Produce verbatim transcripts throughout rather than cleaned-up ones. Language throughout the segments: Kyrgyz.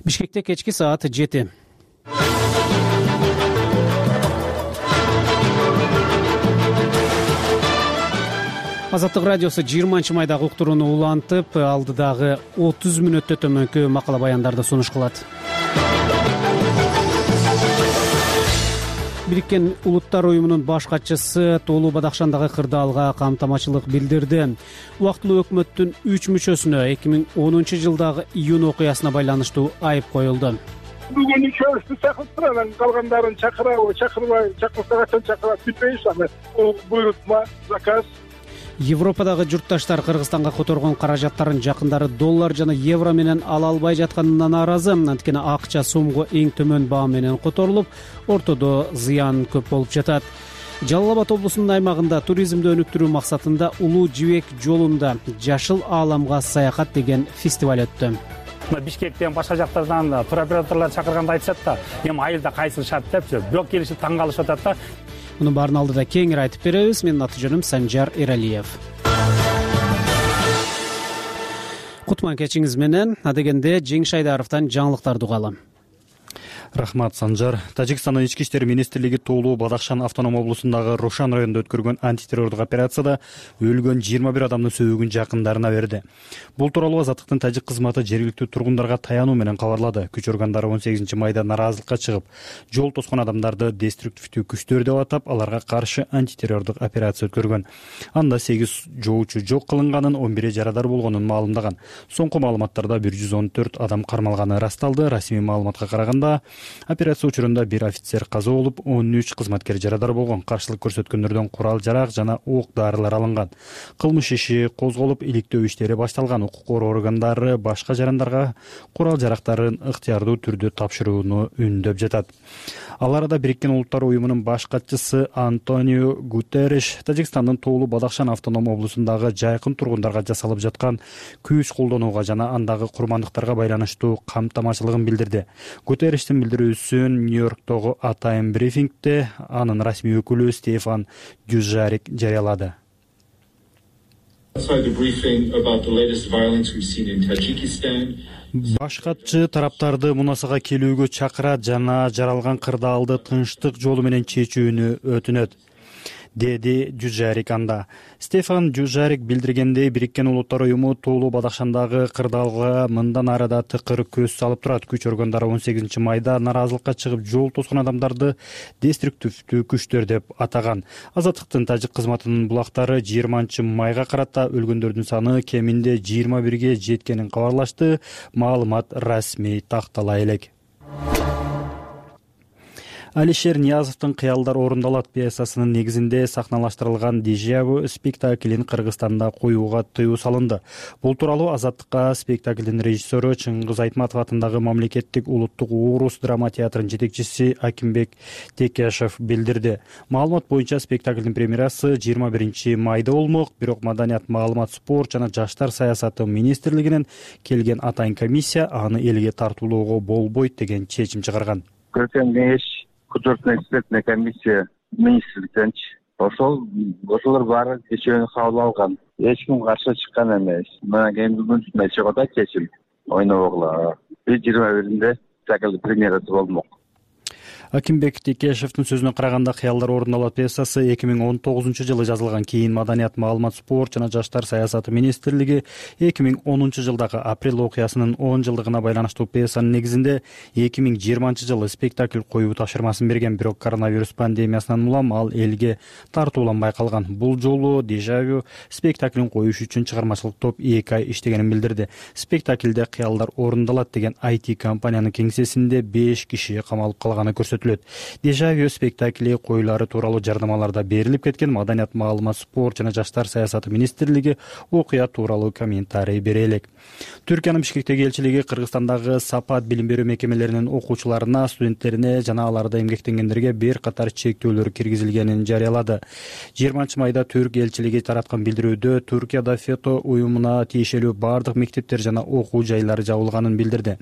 Бишкекте кечки саат жети. Азаттык радиосу жыйырманчы майдагы уктурууну улантып, алдыдагы отуз мүнөттө төмөнкү макала баяндарды сунуш кылат. Бириккен Улуттар уюмунун баш катчысы Тоолуу Бадакшандагы кырдаалга камтамачылык билдирди. Убактылуу өкмөттүн үч мүчөсүнө эки миң онунчу жылдагы июнь окуясына байланыштуу айып коюлду. Бүгүн үчөөбүздү чакырттыр, анан калгандарын чакырабы, чакырбайбы, чакырса качан чакырат билбейбиз аны. Бул буйрутма, заказ. Европадагы журтташтар Кыргызстанга которгон каражаттарын жакындары доллар жана евро менен ала албай жатканына нааразы. Анткени акча сомго эң төмөн баа менен которулуп, ортодо зыян көп болуп жатат. Жалал Абад облусунун аймагында туризмди өнүктүрүү максатында Улуу Жибек жолунда Жашыл ааламга саякат деген фестиваль өттү. Бишкектен башка жактардан туроператорлор чакырганда айтышат да, эми айылда кайсы шарт депчи, бирок келишип таң калышып атат да. Мунун баарын алдыда кеңири айтып беребиз. Менин аты жөнүм Санжар Эралиев. Кутман кечиңиз менен. Адегенде Жеңиш Айдаровдон жаңылыктарды угалы. Рахмат, Санжар. Тажикстандын ички иштер министрлиги Тоолуу Бадакшан автоном облусундагы Рошан районунда өткөргөн антитеррордук операцияда өлгөн жыйырма бир адамдын сөөгүн жакындарына берди. Бул тууралуу Азаттыктын тажик кызматы жергиликтүү тургундарга таянуу менен кабарлады. Күч органдары он сегизинчи майда нараазылыкка чыгып, жол тоскон адамдарды деструктивдүү күчтөр деп атап, аларга каршы антитеррордук операция өткөргөн. Анда сегиз жоочу жок кылынганын, он бири жарадар болгонун маалымдаган. Соңку маалыматтарда бир жүз он төрт адам кармалганы ырасталды. Расмий маалыматка караганда, операция учурунда бир офицер каза болуп, он үч кызматкер жарадар болгон. Каршылык көрсөткөндөрдөн курал-жарак жана ок дарылар алынган. Кылмыш иши козголуп, иликтөө иштери башталган. Укук коргоо органдары башка жарандарга курал-жарактарын ыктыярдуу түрдө тапшырууну үндөп жатат. Ал арада Бириккен Улуттар уюмунун баш катчысы Антонио Гутерриш Тажикстандын Тоолуу Бадакшан автоном облусундагы жайкын тургундарга жасалып жаткан күч колдонууга жана андагы курмандыктарга байланыштуу камтамачылыгын билдирди. Гутерриштин билдирүүсүн Нью-Йорктогу атайын брифингде анын расмий өкүлү Стефан Дюжарик жарыялады. Баш катчы тараптарды мунасага келүүгө чакырат жана жаралган кырдаалды тынчтык жолу менен чечүүнү өтүнөт, деди Дюжарик анда. Стефан Дюжарик билдиргендей, Бириккен Улуттар уюму Тоолуу Бадакшандагы кырдаалга мындан арада тыкыр көз салып турат. Күч органдары он сегизинчи майда нараазылыкка чыгып, жол тоскон адамдарды деструктивдүү күчтөр деп атаган. Азаттыктын тажик кызматынын булактары жыйырманчы майга карата өлгөндөрдүн саны кеминде жыйырма бирге жеткенин кабарлашты. Маалымат расмий тактала элек. Алишер Ниязовдун «Кыялдар орундалат» пьесасынын негизинде сахналаштырылган Дежавю спектаклин Кыргызстанда коюуга тыюу салынды. Бул тууралуу Азаттыкка спектаклдин режиссеру Чыңгыз Айтматов атындагы Мамлекеттик улуттук орус драма театрынын жетекчиси Акимбек Текешев билдирди. Маалымат боюнча спектаклдин премьерасы жыйырма биринчи майда болмок, бирок Маданият, маалымат, спорт жана жаштар саясаты министрлигинен келген атайын комиссия аны элге тартуулоого болбойт деген чечим чыгарган. Художественно-экспертная комиссия министрликтенчи. Ошол ошолор баары кечөөнү кабыл алган. Эч ким каршы чыккан эмес. Мына кийин бүгүн чыга да чечим ойнобогула. жыйырма биринде спектакль премьерасы болмок. Акимбек Текешевдин сөзүнө караганда, «Кыялдар орундалат» пьесасы эки миң он тогузунчу жылы жазылган. Кийин Маданият, маалымат, спорт жана жаштар саясаты министрлиги эки миң онунчу жылдагы апрель окуясынын он жылдыгына байланыштуу пьесанын негизинде эки миң жыйырманчы жылы спектакль коюу тапшырмасын берген. Бирок коронавирус пандемиясынан улам ал элге тартууланбай калган. Бул жолу Дежавю спектаклин коюш үчүн чыгармачылык топ эки ай иштегенин билдирди. Спектаклде «Кыялдар орундалат» деген ай ти компаниянын кеңсесинде беш киши камалып калганы көрсөтүлөт. Дежавю спектакли коюлары тууралуу жардамаларда берилип кеткен. Маданият, маалымат, спорт жана жаштар саясаты министрлиги окуя тууралуу комментарий бере элек. Түркиянын Бишкектеги элчилиги Кыргызстандагы сапат билим берүү мекемелеринин окуучуларына, студенттерине жана аларда эмгектенгендерге бир катар чектөөлөр киргизилгенин жарыялады. жыйырманчы майда Түрк элчилиги тараткан билдирүүдө Түркияда ФЕТО уюмуна тиешелүү бардык мектептер жана окуу жайлары жабылганын билдирди.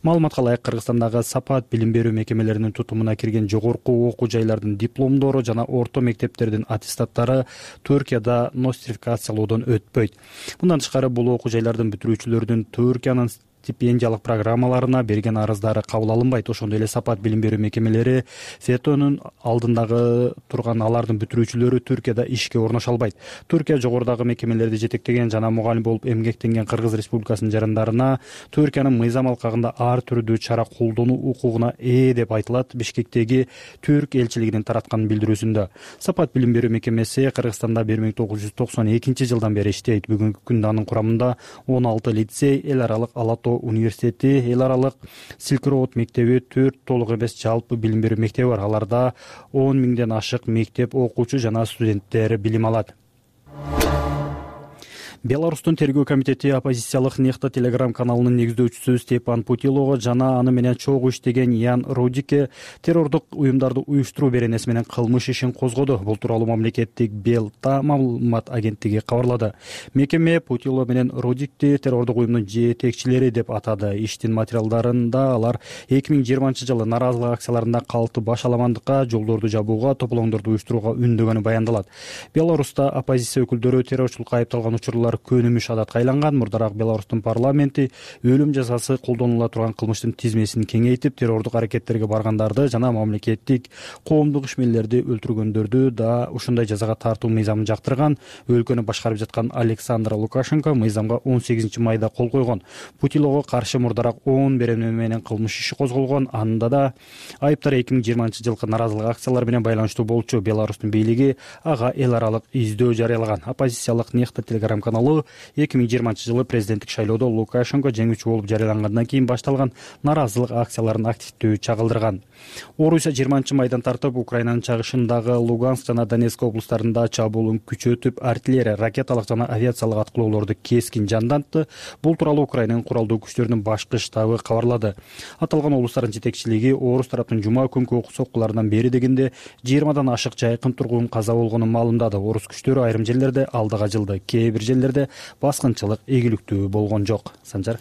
Маалыматка ылайык, Кыргызстандагы сапат билим берүү мекемелеринин тутумуна кирген жогорку окуу жайлардын дипломдору жана орто мектептердин аттестаттары Түркияда нострификациялоодон өтпөйт. Мындан тышкары, бул окуу жайлардын бүтүрүүчүлөрдүн Түркиянын стипендиялык программаларына берген арыздары кабыл алынбайт. Ошондой эле Сапат билим берүү мекемелери фетонун алдындагы турган алардын бүтүрүүчүлөрү Түркияда ишке орношо албайт. Түркия жогорудагы мекемелерди жетектеген жана мугалим болуп эмгектенген Кыргыз Республикасынын жарандарына Түркиянын мыйзам алкагында ар түрдүү чара колдонуу укугуна ээ деп айтылат Бишкектеги Түрк элчилигинин тараткан билдирүүсүндө. Сапат билим берүү мекемеси Кыргызстанда бир миң тогуз жүз токсон экинчи жылдан бери иштейт. Бүгүнкү күндө анын курамында он алты лицей, эл аралык Ала Тоо университети, эл аралык Silk Road мектеби, төрт толук эмес жалпы билим берүү мектеби бар. Аларда он миңден ашык мектеп окуучу жана студенттер билим алат. Беларустун тергөө комитети оппозициялык Нехта телеграм каналынын негиздөөчүсү Степан Путилого жана аны менен чогуу иштеген Ян Родикке террордук уюмдарды уюштуруу беренеси менен кылмыш ишин козгоду. Бул тууралуу мамлекеттик Белта маалымат агенттиги кабарлады. Мекеме Путило менен Родикти террордук уюмдун жетекчилери деп атады. Иштин материалдарында алар эки миң жыйырманчы жылы нааразылык акцияларында калкты башаламандыкка, жолдорду жабууга, тополоңдорду уюштурууга үндөгөнү баяндалат. Беларуста оппозиция өкүлдөрү террорчулукка айыпталган учурлар көнүмүш адатка айланган. Мурдараак Беларустун парламенти өлүм жазасы колдонула турган кылмыштын тизмесин кеңейтип, террордук аракеттерге баргандарды жана мамлекеттик коомдук ишмерлерди өлтүргөндөрдү да ушундай жазага тартуу мыйзамын жактырган. Өлкөнү башкарып жаткан Александр Лукашенко мыйзамга он сегизинчи майда кол койгон. Путилого каршы мурдараак он беренеме менен кылмыш иши козголгон. Анда да айыптар эки миң жыйырманчы жылкы нааразылык акциялары менен байланыштуу болчу. Беларустун бийлиги ага эл аралык издөө жарыялаган. Оппозициялык Нехта телеграм каналы эки миң жыйырманчы жылы президенттик шайлоодо Лукашенко жеңүүчү болуп жарыялангандан кийин башталган нааразылык акцияларын активдүү чагылдырган. Орусия жыйырманчы майдан тартып Украинанын чыгышындагы Луганск жана Донецк облустарында чабуулун күчөтүп, артиллерия, ракеталык жана авиациялык аткылоолорду кескин жандантты. Бул тууралуу Украинанын куралдуу күчтөрүнүн башкы штабы кабарлады. Аталган облустардын жетекчилиги орус тараптын жума күнкү окуу соккуларынан бери дегенде жыйырмадан ашык жайкын тургун каза болгонун маалымдады. Орус күчтөрү айрым жерлерде алдыга жылды, кээ бир жерлерде баскынчылык ийгиликтүү болгон жок. Санжар.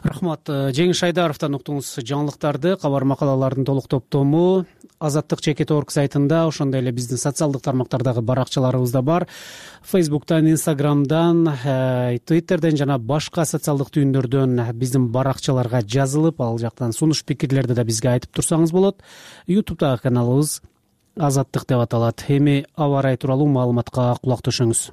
Рахмат. Жеңиш Айдаровдон уктуңуз жаңылыктарды. Кабар макалалардын толук топтому Азаттык чекит точка орг сайтында, ошондой эле биздин социалдык тармактардагы баракчаларыбызда бар. Фейсбуктан, Инстаграмдан, Твиттерден жана башка социалдык түйүндөрдөн биздин баракчаларга жазылып, ал жактан сунуш пикирлерди да бизге айтып турсаңыз болот. Ютубтагы каналыбыз Азаттык деп аталат. Эми аба ырайы тууралуу маалыматка кулак төшөңүз.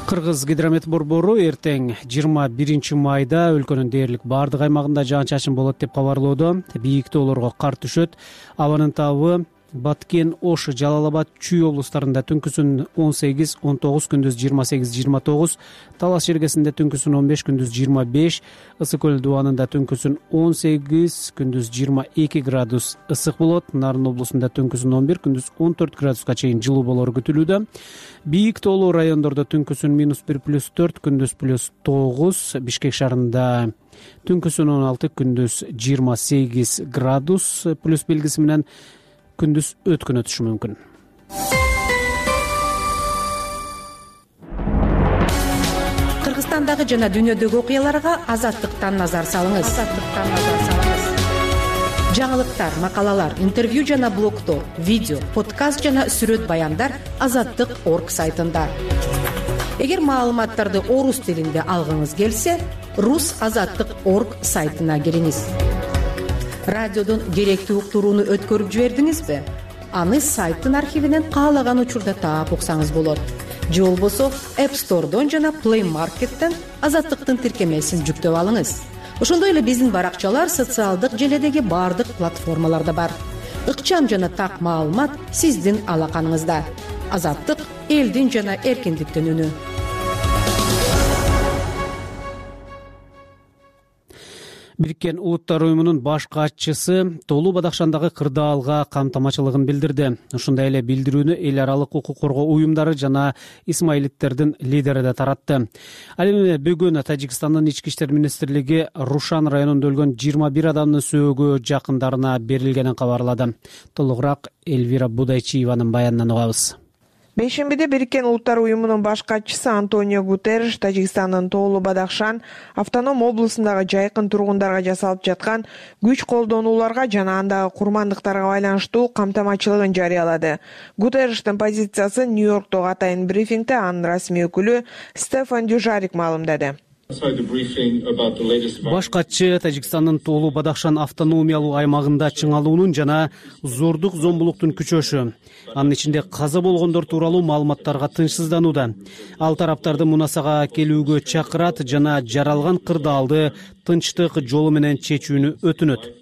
Кыргыз гидромет борбору эртең жыйырма биринчи майда өлкөнүн дээрлик баардык аймагында жаан-чачын болот деп кабарлоодо. Бийик тоолорго кар түшөт. Абанын табы Баткен, Ош, Жалал Абад, Чүй облустарында түнкүсүн он сегиз он тогуз, күндүз жыйырма сегиз жыйырма тогуз, Талас жергесинде түнкүсүн он беш, күндүз жыйырма беш, Ысык көл дубанында түнкүсүн он сегиз, күндүз жыйырма эки градус ысык болот. Нарын облусунда түнкүсүн он бир, күндүз он төрт градуска чейин жылуу болору күтүлүүдө. Бийик тоолуу райондордо түнкүсүн минус бир плюс төрт, күндүз плюс тогуз, Бишкек шаарында түнкүсүн он алты, күндүз жыйырма сегиз градус плюс белгиси менен күндүз өткөн өтүшү мүмкүн. Кыргызстандагы жана дүйнөдөгү окуяларга Азаттыктан назар салыңыз. Азаттыктан назар салыңыз. Жаңылыктар, макалалар, интервью жана блогтор, видео, подкаст жана сүрөт баяндар Азаттык точка орг сайтында. Эгер маалыматтарды орус тилинде алгыңыз келсе, рус азаттык точка орг сайтына кириңиз. Радиодон керектүү уктурууну өткөрүп жибердиңизби? Аны сайттын архивинен каалаган учурда таап уксаңыз болот. Же болбосо App Store'дон жана Play Market'тен Азаттыктын тиркемесин жүктөп алыңыз. Ошондой эле биздин баракчалар социалдык желедеги баардык платформаларда бар. Ыкчам жана так маалымат сиздин алаканыңызда. Азаттык элдин жана эркиндиктин үнү. Бириккен Улуттар уюмунун баш катчысы Тоолуу Бадакшандагы кырдаалга камтамачылыгын билдирди. Ошондой эле билдирүүнү эл аралык укук коргоо уюмдары жана исмаилиттердин лидери да таратты. Ал эми бүгүн Тажикстандын ички иштер министрлиги Рушан районунда өлгөн жыйырма бир адамдын сөөгү жакындарына берилгенин кабарлады. Толугураак Эльвира Будайчиеванын баянынан угабыз. Бейшембиде Бириккен Улуттар уюмунун баш катчысы Антонио Гутерриш Тажикстандын Тоолу Бадахшан автоном облусундагы жайкын тургундарга жасалып жаткан күч колдонууларга жана андагы курмандыктарга байланыштуу камтамачылыгын жарыялады. Гутерриштин позициясы Нью-Йорктогу атайын брифингде анын расмий өкүлү Стефан Дюжарик маалымдады. Баш катчы Тажикстандын Тоолу Бадахшан автономиялуу аймагында чыңалуунун жана зордук зомбулуктун күчөшү, анын ичинде каза болгондор тууралуу маалыматтарга тынчсызданууда. Ал тараптарды мунасага келүүгө чакырат жана жаралган кырдаалды тынчтык жолу менен чечүүнү өтүнөт.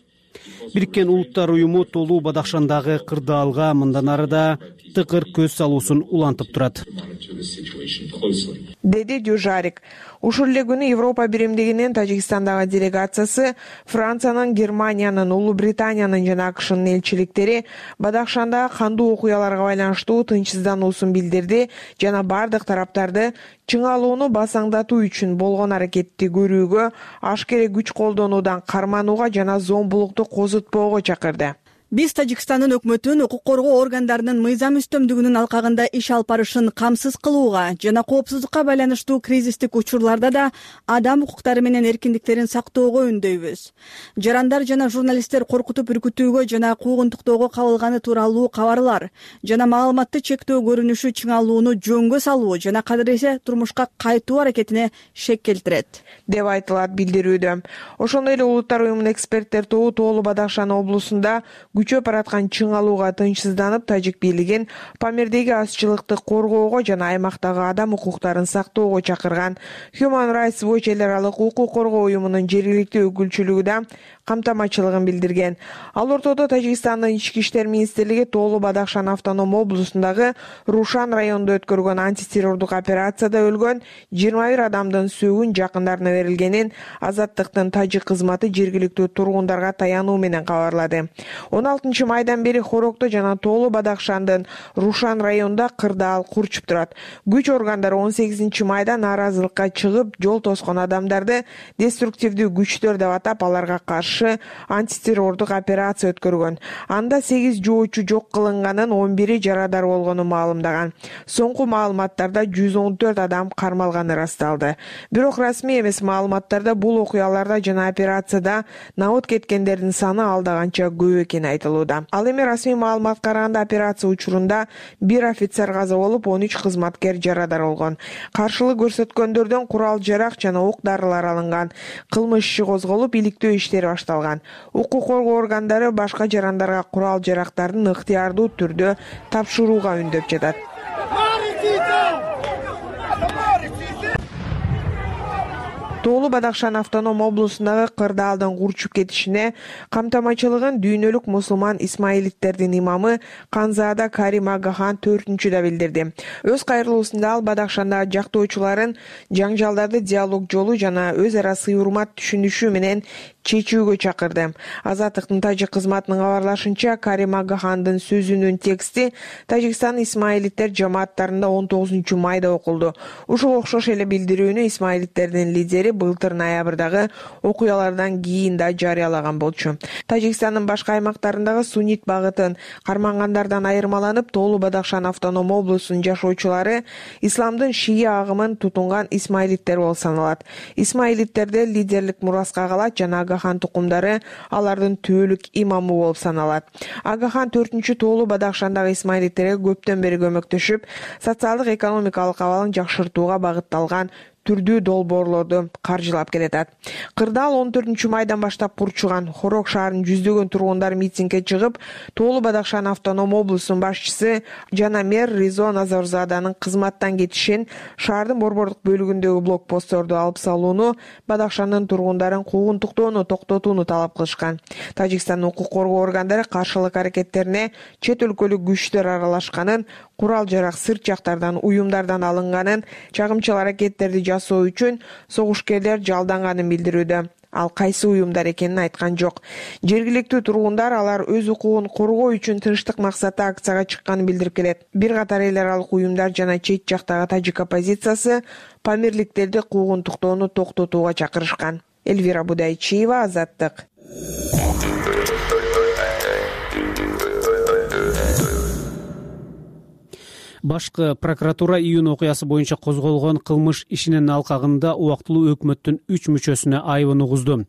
Бириккен Улуттар уюму Тоолу Бадахшандагы кырдаалга мындан ары да тыкыр көз салуусун улантып турат, деди Дюжарик. Ушул эле күнү Европа биримдигинин Тажикстандагы делегациясы Франциянын, Германиянын, Улуу Британиянын жана АКШнын элчиликтери Бадахшандагы кандуу окуяларга байланыштуу тынчсыздануусун билдирди жана бардык тараптарды чыңалууну басаңдатуу үчүн болгон аракетти көрүүгө, ашкере күч колдонуудан карманууга жана зомбулукту козутпоого чакырды. Биз Тажикстандын өкмөтүн укук коргоо органдарынын мыйзам үстөмдүгүнүн алкагында иш алып барышын камсыз кылууга жана коопсуздукка байланыштуу кризистик учурларда да адам укуктары менен эркиндиктерин сактоого үндөйбүз. Жарандар жана журналисттер коркутуп үркүтүүгө жана куугунтуктоого кабылганы тууралуу кабарлар жана маалыматты чектөө көрүнүшү чыңалууну жөнгө салуу жана кадыресе турмушка кайтуу аракетине шек келтирет, деп айтылат билдирүүдө. Ошондой эле Улуттар уюмунун эксперттер тобу Тоолу Бадахшан облусунда күчөп бараткан чыңалууга тынчсызданып, тажик бийлигин Памирдеги азчылыкты коргоого жана аймактагы адам укуктарын сактоого чакырган. Human Rights Watch эл аралык укук коргоо уюмунун жергиликтүү өкүлчүлүгү да камтамачылыгын билдирген. Ал ортодо Тажикстандын ички иштер министрлиги Тоолу Бадахшан автоном облусундагы Рушан районунда өткөргөн антитеррордук операцияда өлгөн жыйырма бир адамдын сөөгүн жакындарына берилгенин Азаттыктын тажик кызматы жергиликтүү тургундарга таянуу менен кабарлады. он алтынчы майдан бери Хорокто жана Тоолу Бадахшандын Рушан районунда кырдаал курчуп турат. Күч органдары он сегизинчи майда нааразылыкка чыгып, жол тоскон адамдарды деструктивдүү күчтөр деп атап, аларга каршы антитеррордук операция өткөргөн. Анда сегиз жоочу жок кылынганын, он бири жарадар болгонун маалымдаган. Соңку маалыматтарда жүз он төрт адам кармалганы ырасталды. Бирок расмий эмес маалыматтарда бул окуяларда жана операцияда набыт кеткендердин саны алдаганча көп экени айтылууда. Ал эми расмий маалыматка караганда операция учурунда бир офицер каза болуп, он үч кызматкер жарадар болгон. Каршылык көрсөткөндөрдөн курал жарак жана ок дарылар алынган. Кылмыш иши козголуп, иликтөө иштери башталган. Укук коргоо органдары башка жарандарга курал жарактардын ыктыярдуу түрдө тапшырууга үндөп жатат. Тоолу Бадахшан автоном облусундагы кырдаалдын курчуп кетишине камтамачылыгын дүйнөлүк мусулман исмаилиттердин имамы Канзаада Карим Агахан төртүнчүдө билдирди. Өз кайрылуусунда ал Бадахшандагы жактоочуларын жаңжалдарды диалог жолу жана өз ара сый урмат түшүнүшү менен чечүүгө чакырды. Азаттыктын тажик кызматынын кабарлашынча, Карим Агахандын сөзүнүн тексти Тажикстан исмаилиттер жамааттарында он тогузунчу майда окулду. Ушул окшош эле билдирүүнү исмаилиттердин лидери былтыр ноябрдагы окуялардан кийин да жарыялаган болчу. Тажикстандын башка аймактарындагы суннит багытын кармангандардан айырмаланып, Тоолу Бадахшан автоном облусунун жашоочулары исламдын шия агымын тутунган исмаилиттер болуп саналат. Исмаилиттерде лидерлик мураска калат жана Агахан тукумдары алардын түбөлүк имамы болуп саналат. Агахан төртүнчү Тоолу Бадахшандагы исмаилиттерге көптөн бери көмөктөшүп, социалдык экономикалык абалын жакшыртууга багытталган түрдүү долбоорлорду каржылап келатат. Кырдаал он төртүнчү майдан баштап курчуган. Хорок шаарынын жүздөгөн тургундары митингге чыгып, Тоолу Бадахшан автоном облусунун башчысы жана мэр Ризо Назарзаданын кызматтан кетишин, шаардын борбордук бөлүгүндөгү блокпостторду алып салууну, Бадахшандын тургундарын куугунтуктоону токтотууну талап кылышкан. Тажикстандын укук коргоо органдары каршылык аракеттерине чет өлкөлүк күчтөр аралашканын, курал жарак сырт жактардан, уюмдардан алынганын, чагымчыл аракеттерди жасоо үчүн согушкерлер жалданганын билдирүүдө. Ал кайсы уюмдар экенин айткан жок. Жергиликтүү тургундар алар өз укугун коргоо үчүн тынчтык максатта акцияга чыкканын билдирип келет. Бир катар эл аралык уюмдар жана чет жактагы тажик оппозициясы памирликтерди куугунтуктоону токтотууга чакырышкан. Эльвира Будайчиева, Азаттык. Башкы прокуратура июнь окуясы боюнча козголгон кылмыш ишинин алкагында убактылуу өкмөттүн үч мүчөсүнө айыбын угузду.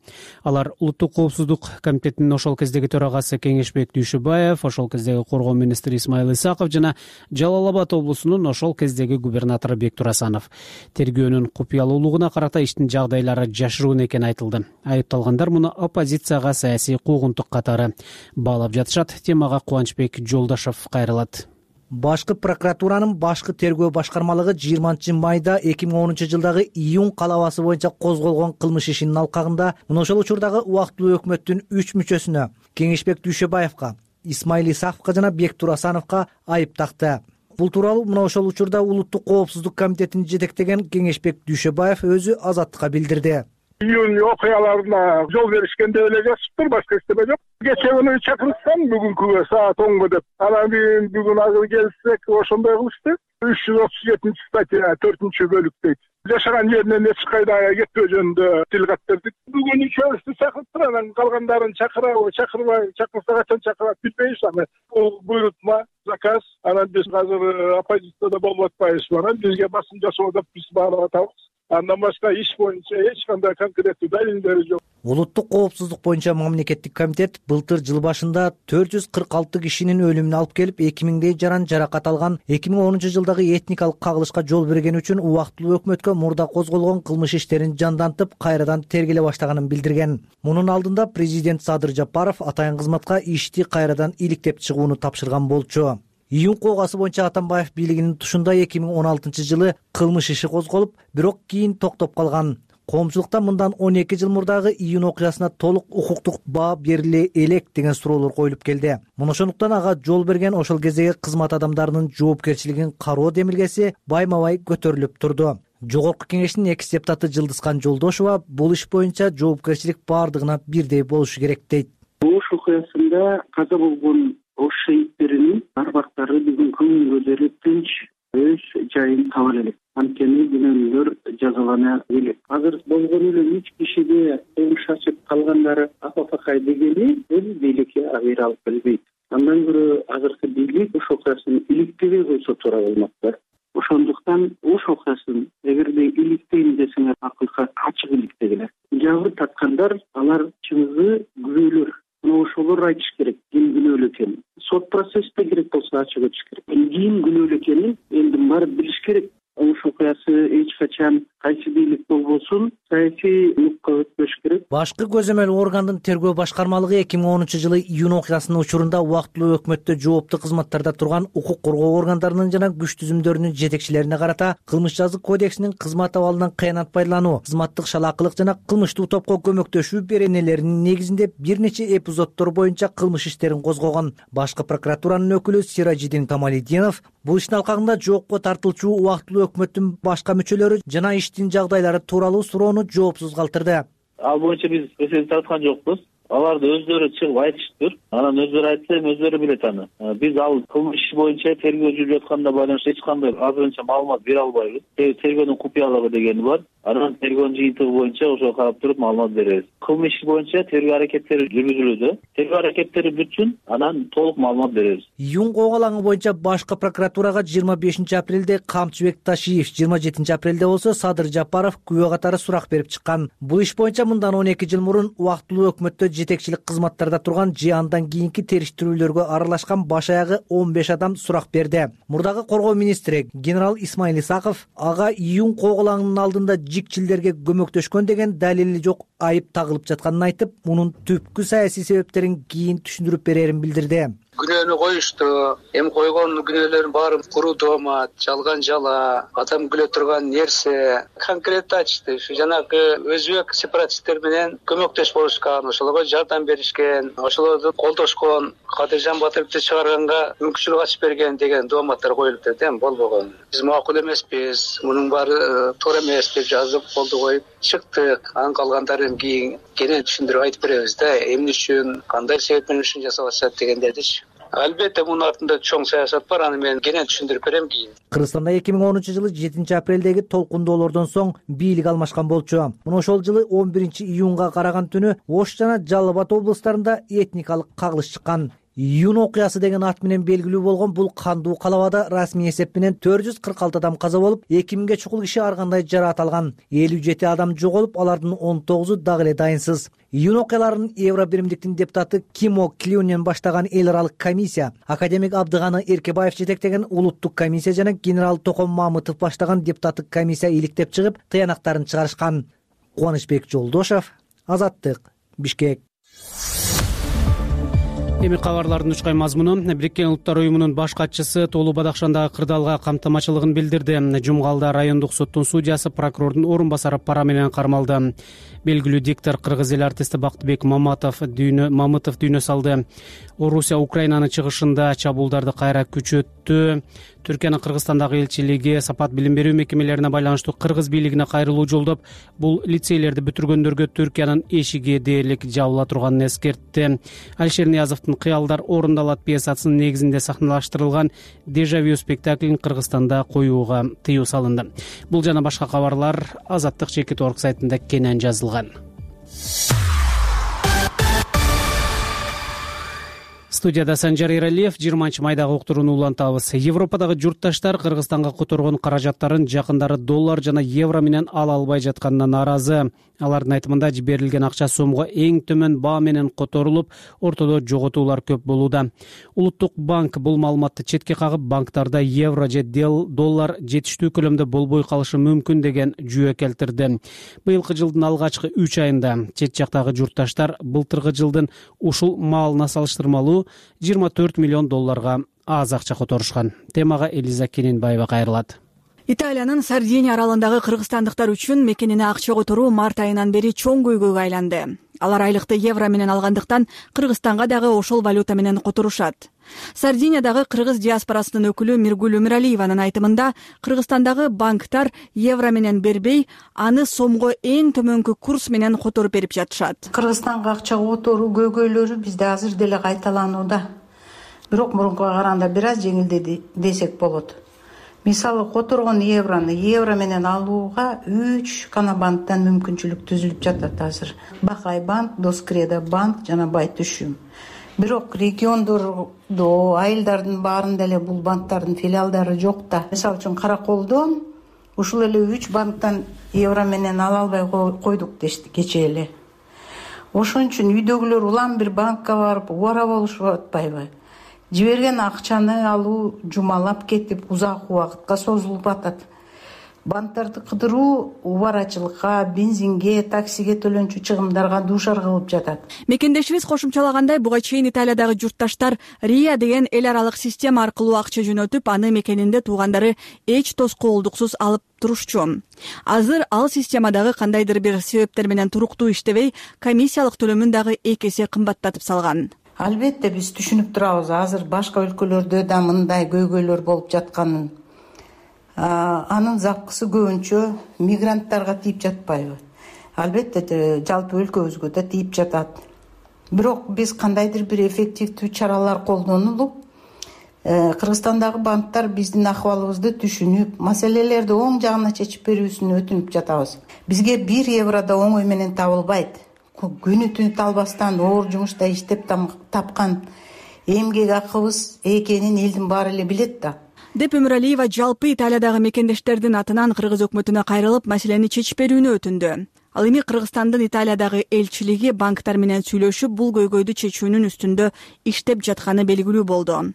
Алар Улуттук коопсуздук комитетинин ошол кездеги төрагасы Кеңешбек Дүйшөбаев, ошол кездеги коргоо министри Исмайыл Исаков жана Жалал Абад облусунун ошол кездеги губернатору Бектур Асанов. Тергөөнүн купуялуулугуна карата иштин жагдайлары жашыруун экени айтылды. Айыпталгандар муну оппозицияга саясий куугунтук катары баалап жатышат. Темага Кубанычбек Жолдошов кайрылат. Башкы прокуратуранын башкы тергөө башкармалыгы жыйырманчы майда эки миң онунчу жылдагы июнь калабасы боюнча козголгон кылмыш ишинин алкагында мына ошол учурдагы убактылуу өкмөттүн үч мүчөсүнө Кеңешбек Дүйшөбаевка, Исмайыл Исаковго жана Бектур Асановго айып такты. Бул тууралуу мына ошол учурда Улуттук коопсуздук комитетин жетектеген Кеңешбек Дүйшөбаев өзү Азаттыкка билдирди. Июнь окуяларына жол беришкенде эле жазыптыр, башка эчтеме жок. Кечээ күнү чакырышкан бүгүнкүгө саат онго деп. Анан мен бүгүн азыр келсек ошондой кылышты. үч жүз отуз жетинчи статья төртүнчү бөлүк дейт. Жашаган жеринен эч кайда кетпөө жөнүндө тил кат бердик. Бүгүн үчөөбүздү чакырттыр, анан калгандарын чакырабы, чакырбай, чакырса качан чакырат билбейбиз. Анан бул буйрутма, заказ. Анан биз азыр оппозицияда болуп атпайбыз. Анан бизге басым жасоо деп биз баалап атабыз. Андан башка иш боюнча эч кандай конкреттүү далилдери жок. Улуттук коопсуздук боюнча мамлекеттик комитет былтыр жыл башында төрт жүз кырк алты кишинин өлүмүнө алып келип, эки миңдей жаран жаракат алган, эки миң онунчу жылдагы этникалык кагылышка жол берген үчүн убактылуу өкмөткө мурда козголгон кылмыш иштерин жандантып, кайрадан тергеле баштаганын билдирген. Мунун алдында президент Садыр Жапаров атайын кызматка ишти кайрадан иликтеп чыгууну тапшырган болчу. Июнь коогасы боюнча Атамбаев бийлигинин тушунда эки миң он алтынчы жылы кылмыш иши козголуп, бирок кийин токтоп калган. Коомчулукта мындан он эки жыл мурдагы июнь окуясына толук укуктук баа бериле элек деген суроолор коюлуп келди. Мына ошондуктан ага жол берген ошол кездеги кызмат адамдарынын жоопкерчилигин кароо демилгеси байма-бай көтөрүлүп турду. Жогорку кеңештин экс депутаты Жылдызкан Жолдошова бул иш боюнча жоопкерчилик баардыгына бирдей болушу керек дейт. Ош окуясында каза болгон ош шейиттеринин арбактары бүгүнкү күнгө дейин тынч өз жайын таба элек. Анткени күнөөлөр жазалана элек. Азыр болгон эле үч кишиге кылмыш ачып калгандары апапакай дегени бул бийликке абийир алып келбейт. Андан көрө азыркы бийлик ош окуясын иликтебей койсо туура болмок. Ошондуктан ош окуясын эгерде иликтейм десеңер акылга ачык иликтегиле. Жабыр тарткандар алар чыныгы күбөлөр. Мына ошолор айтыш керек ким күнөөлүү экенин. Сот процессте керек болсо ачык өтүш керек. Ким күнөөлүү экенин элдин баары билиш керек. Ош окуясы эч качан кайсы бийлик болбосун саясий нукка өтпөш керек. Башкы көзөмөл органдын тергөө башкармалыгы эки миң онунчу жылы июнь окуясынын учурунда убактылуу өкмөттө жооптуу кызматтарда турган укук коргоо органдарынын жана күч түзүмдөрүнүн жетекчилерине карата кылмыш жазык кодексинин кызмат абалынан кыянат пайдалануу, кызматтык шалаакылык жана кылмыштуу топко көмөктөшүү беренелеринин негизинде бир нече эпизоддор боюнча кылмыш иштерин козгогон. Башкы прокуратуранын өкүлү Сиражидин Камалидинов бул иштин алкагында жоопко тартылчу убактылуу өкмөттүн башка мүчөлөрү жана иштин жагдайлары тууралуу суроону жоопсуз калтырды. Ал боюнча биз эсеп тарткан жокпуз. Аларды өздөрү чыгып айтыштыр. Анан өздөрү айтса, өздөрү билет аны. Биз ал кылмыш иши боюнча тергөө жүрүп атканда байланыштуу эч кандай азырынча маалымат бере албайбыз. Тергөөнүн купуялыгы дегени бар. Анан тергөөнүн жыйынтыгы боюнча ошо карап туруп маалымат беребиз. Кылмыш иши боюнча тергөө аракеттери жүргүзүлүүдө. Тергөө аракеттери бүтсүн, анан толук маалымат беребиз. Июнь коогалаңы боюнча башкы прокуратурага жыйырма бешинчи апрелде Камчыбек Ташиев, жыйырма жетинчи апрелде болсо Садыр Жапаров күбө катары сурак берип чыккан. Бул иш боюнча мындан он эки жыл мурун убактылуу өкмөттө жетекчилик кызматтарда турган же андан кийинки териштирүүлөргө аралашкан баш аягы он беш адам сурак берди. Мурдагы коргоо министри генерал Исмайыл Исаков ага июнь коогалаңынын алдында жикчилдерге көмөктөшкөн деген далили жок айып тагылып жатканын айтып, мунун түпкү саясий себептерин кийин түшүндүрүп берерин билдирди. Күнөөнү коюшту, эми койгон күнөөлөрдүн баары куруу доомат, жалган жала, адам күлө турган нерсе. Конкреттүү айтышты. Ушу жанагы өзбек сепаратисттер менен көмөктөш болушкан, ошолорго жардам беришкен, ошолорду колдошкон, Кадыржан Батыровду чыгарганга мүмкүнчүлүк ачып берген деген дооматтар коюлуп жатат, эми болбогон. Биз макул эмеспиз, мунун баары туура эмес деп жазып, колду коюп чыктык. Анын калгандарын кийин кенен түшүндүрүп айтып беребиз да, эмне үчүн, кандай себеп менен ушуну жасап атышат дегендердичи. Албетте мунун артында чоң саясат бар, аны мен кенен түшүндүрүп берем кийин. Кыргызстанда эки миң онунчу жылы жетинчи апрелдеги толкундоолордон соң бийлик алмашкан болчу. Мына ошол жылы он биринчи июнга караган түнү Ош жана Жалал Абад облустарында этникалык кагылыш чыккан. июнь окуясы деген ат менен белгилүү болгон бул кандуу калабада расмий эсеп менен төрт жүз кырк алты адам каза болуп, эки миңге чукул киши ар кандай жараат алган. элүү жети адам жоголуп, алардын он тогузу дагы эле дайынсыз. Июнь окуяларын Евро биримдиктин депутаты Кимо Клюнен баштаган эл аралык комиссия, академик Абдыганы Эркебаев жетектеген улуттук комиссия жана генерал Током Мамытов баштаган депутаттык комиссия иликтеп чыгып, тыянактарын чыгарышкан. Кубанычбек Жолдошев, Азаттык, Бишкек. Эми кабарлардын учкай мазмуну. Бириккен Улуттар уюмунун баш катчысы Тоолуу Бадакшандагы кырдаалга камтамачылыгын билдирди. Жумгалда райондук соттун судьясы прокурордун орун басары пара менен кармалды. Белгилүү диктор кыргыз эл артисти Бактыбек Маматов дүйнө Мамытов дүйнө салды. Орусия Украинанын чыгышында чабуулдарды кайра күчөттү. Түркиянын Кыргызстандагы элчилиги сапат билим берүү мекемелерине байланыштуу кыргыз бийлигине кайрылуу жолдоп, бул лицейлерди бүтүргөндөргө Түркиянын эшиги дээрлик жабыла турганын эскертти. Алишер Ниязовдун «Кыялдар орундалат» пьесасынын негизинде сахналаштырылган «Дежавю» спектаклин Кыргызстанда коюуга тыюу салынды. Бул жана башка кабарлар Азаттык чекит орг сайтында кенен жазылган. Студияда Санжар Эралиев. жыйырманчы майдагы уктурууну улантабыз. Европадагы журтташтар Кыргызстанга которгон каражаттарын жакындары доллар жана евро менен ала албай жатканына нааразы. Алардын айтымында жиберилген акча сомго эң төмөн баа менен которулуп, ортодо жоготуулар көп болууда. Улуттук банк бул маалыматты четке кагып, банктарда евро же доллар жетиштүү көлөмдө болбой калышы мүмкүн деген жүйө келтирди. Быйылкы жылдын алгачкы үч айында чет жактагы журтташтар былтыркы жылдын ушул маалына салыштырмалуу жыйырма төрт миллион долларга аз акча которушкан. Темага Элиза Кененбаева кайрылат. Италиянын Сардиния аралындагы кыргызстандыктар үчүн мекенине акча которуу март айынан бери чоң көйгөйгө айланды. Алар айлыкты евро менен алгандыктан Кыргызстанга дагы ошол валюта менен которушат. Сардиниядагы кыргыз диаспорасынын өкүлү Миргүл Өмүралиеванын айтымында, Кыргызстандагы банктар евро менен бербей, аны сомго эң төмөнкү курс менен которуп берип жатышат. Кыргызстанга акча которуу көйгөйлөрү бизде азыр деле кайталанууда. Бирок мурункуга караганда бир аз жеңилдеди десек болот. Мисалы, которгон евроны евро менен алууга үч гана банктан мүмкүнчүлүк түзүлүп жатат азыр. Бакай банк, Доскреда банк жана Байтүшүм. Бирок региондордо, айылдардын баарында эле бул банктардын филиалдары жок да. Мисалы үчүн Караколдон ушул эле үч банктан евро менен ала албай койдук дешти кечээ эле. Ошон үчүн үйдөгүлөр улам бир банкка барып убара болушуп атпайбы? Жиберген акчаны алуу жумалап кетип, узак убакытка созулуп атат. Банктарды кыдыруу убарачылыкка, бензинге, таксиге төлөнчү чыгымдарга дуушар кылып жатат. Мекендешибиз кошумчалагандай, буга чейин Италиядагы журтташтар РИА деген эл аралык система аркылуу акча жөнөтүп, аны мекенинде туугандары эч тоскоолдуксуз алып турушчу. Азыр ал системадагы кандайдыр бир себептер менен туруктуу иштебей, комиссиялык төлөмүн дагы эки эсе кымбаттатып салган. Албетте биз түшүнүп турабыз, азыр башка өлкөлөрдө да мындай көйгөйлөр болуп жатканын. Анын запкысы көбүнчө мигранттарга тийип жатпайбы? Албетте жалпы өлкөбүзгө да тийип жатат. Бирок биз кандайдыр бир эффективдүү чаралар колдонулуп, Кыргызстандагы банктар биздин акыбалыбызды түшүнүп, маселелерди оң жагына чечип берүүсүн өтүнүп жатабыз. Бизге бир евро да оңой менен табылбайт. Күнү түнү талбастан оор жумушта иштеп тапкан эмгек акыбыз экенин элдин баары эле билет да. Деп Өмүралиева жалпы Италиядагы мекендештердин атынан кыргыз өкмөтүнө кайрылып, маселени чечип берүүнү өтүндү. Ал эми Кыргызстандын Италиядагы элчилиги банктар менен сүйлөшүп, бул көйгөйдү чечүүнүн үстүндө иштеп жатканы белгилүү болду.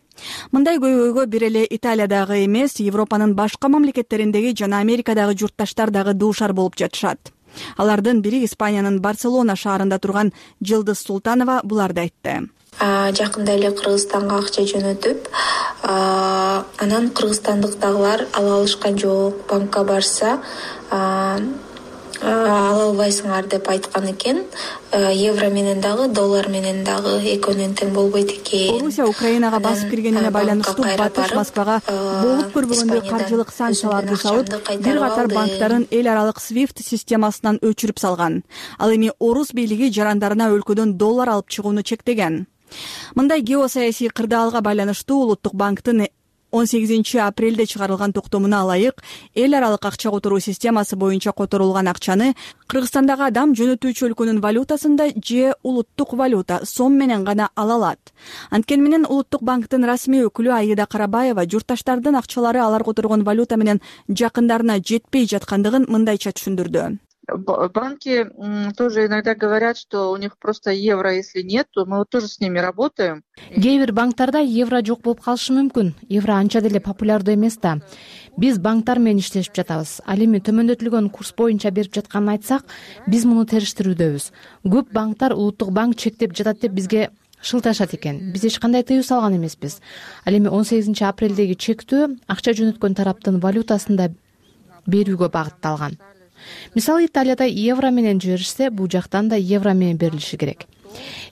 Мындай көйгөйгө бир эле Италиядагы эмес, Европанын башка мамлекеттериндеги жана Америкадагы журтташтар дагы дуушар болуп жатышат. Алардын бири Испаниянын Барселона шаарында турган Жылдыз Султанова буларды айтты. Жакында эле Кыргызстанга акча жөнөтүп, анан кыргызстандыктагылар ала алышкан жок, банкка барса ала албайсыңар деп айткан экен. Евро менен дагы, доллар менен дагы экөөнүн тең болбойт экен. Орусия Украинага басып киргенине байланыштуу Батыш Москвага болуп көрбөгөндөй каржылык санкцияларды салып, бир катар банктарын эл аралык свифт системасынан өчүрүп салган. Ал эми орус бийлиги жарандарына өлкөдөн доллар алып чыгууну чектеген. Мындай геосаясий кырдаалга байланыштуу Улуттук банктын он сегизинчи апрелде чыгарылган токтомуна ылайык эл аралык акча которуу системасы боюнча которулган акчаны Кыргызстандагы адам жөнөтүүчү өлкөнүн валютасында же улуттук валюта сом менен гана ала алат. Анткени менен улуттук банктын расмий өкүлү Аида Карабаева журтташтардын акчалары алар которгон валюта менен жакындарына жетпей жаткандыгын мындайча түшүндүрдү. Банки тоже иногда говорят, что у них просто евро, если нет, то мы вот тоже с ними работаем. Кээ бир банктарда евро жок болуп калышы мүмкүн. Евро анча деле популярдуу эмес да. Биз банктар менен иштешип жатабыз. Ал эми төмөндөтүлгөн курс боюнча берип жатканын айтсак, биз муну териштирүүдөбүз. Көп банктар улуттук банк чектеп жатат деп бизге шылташат экен. Биз эч кандай тыюу салган эмеспиз. Ал эми он сегизинчи апрелдеги чектөө акча жөнөткөн тараптын валютасында берүүгө багытталган. Мисалы Италияда евро менен жиберишсе, бул жактан да евро менен берилиши керек.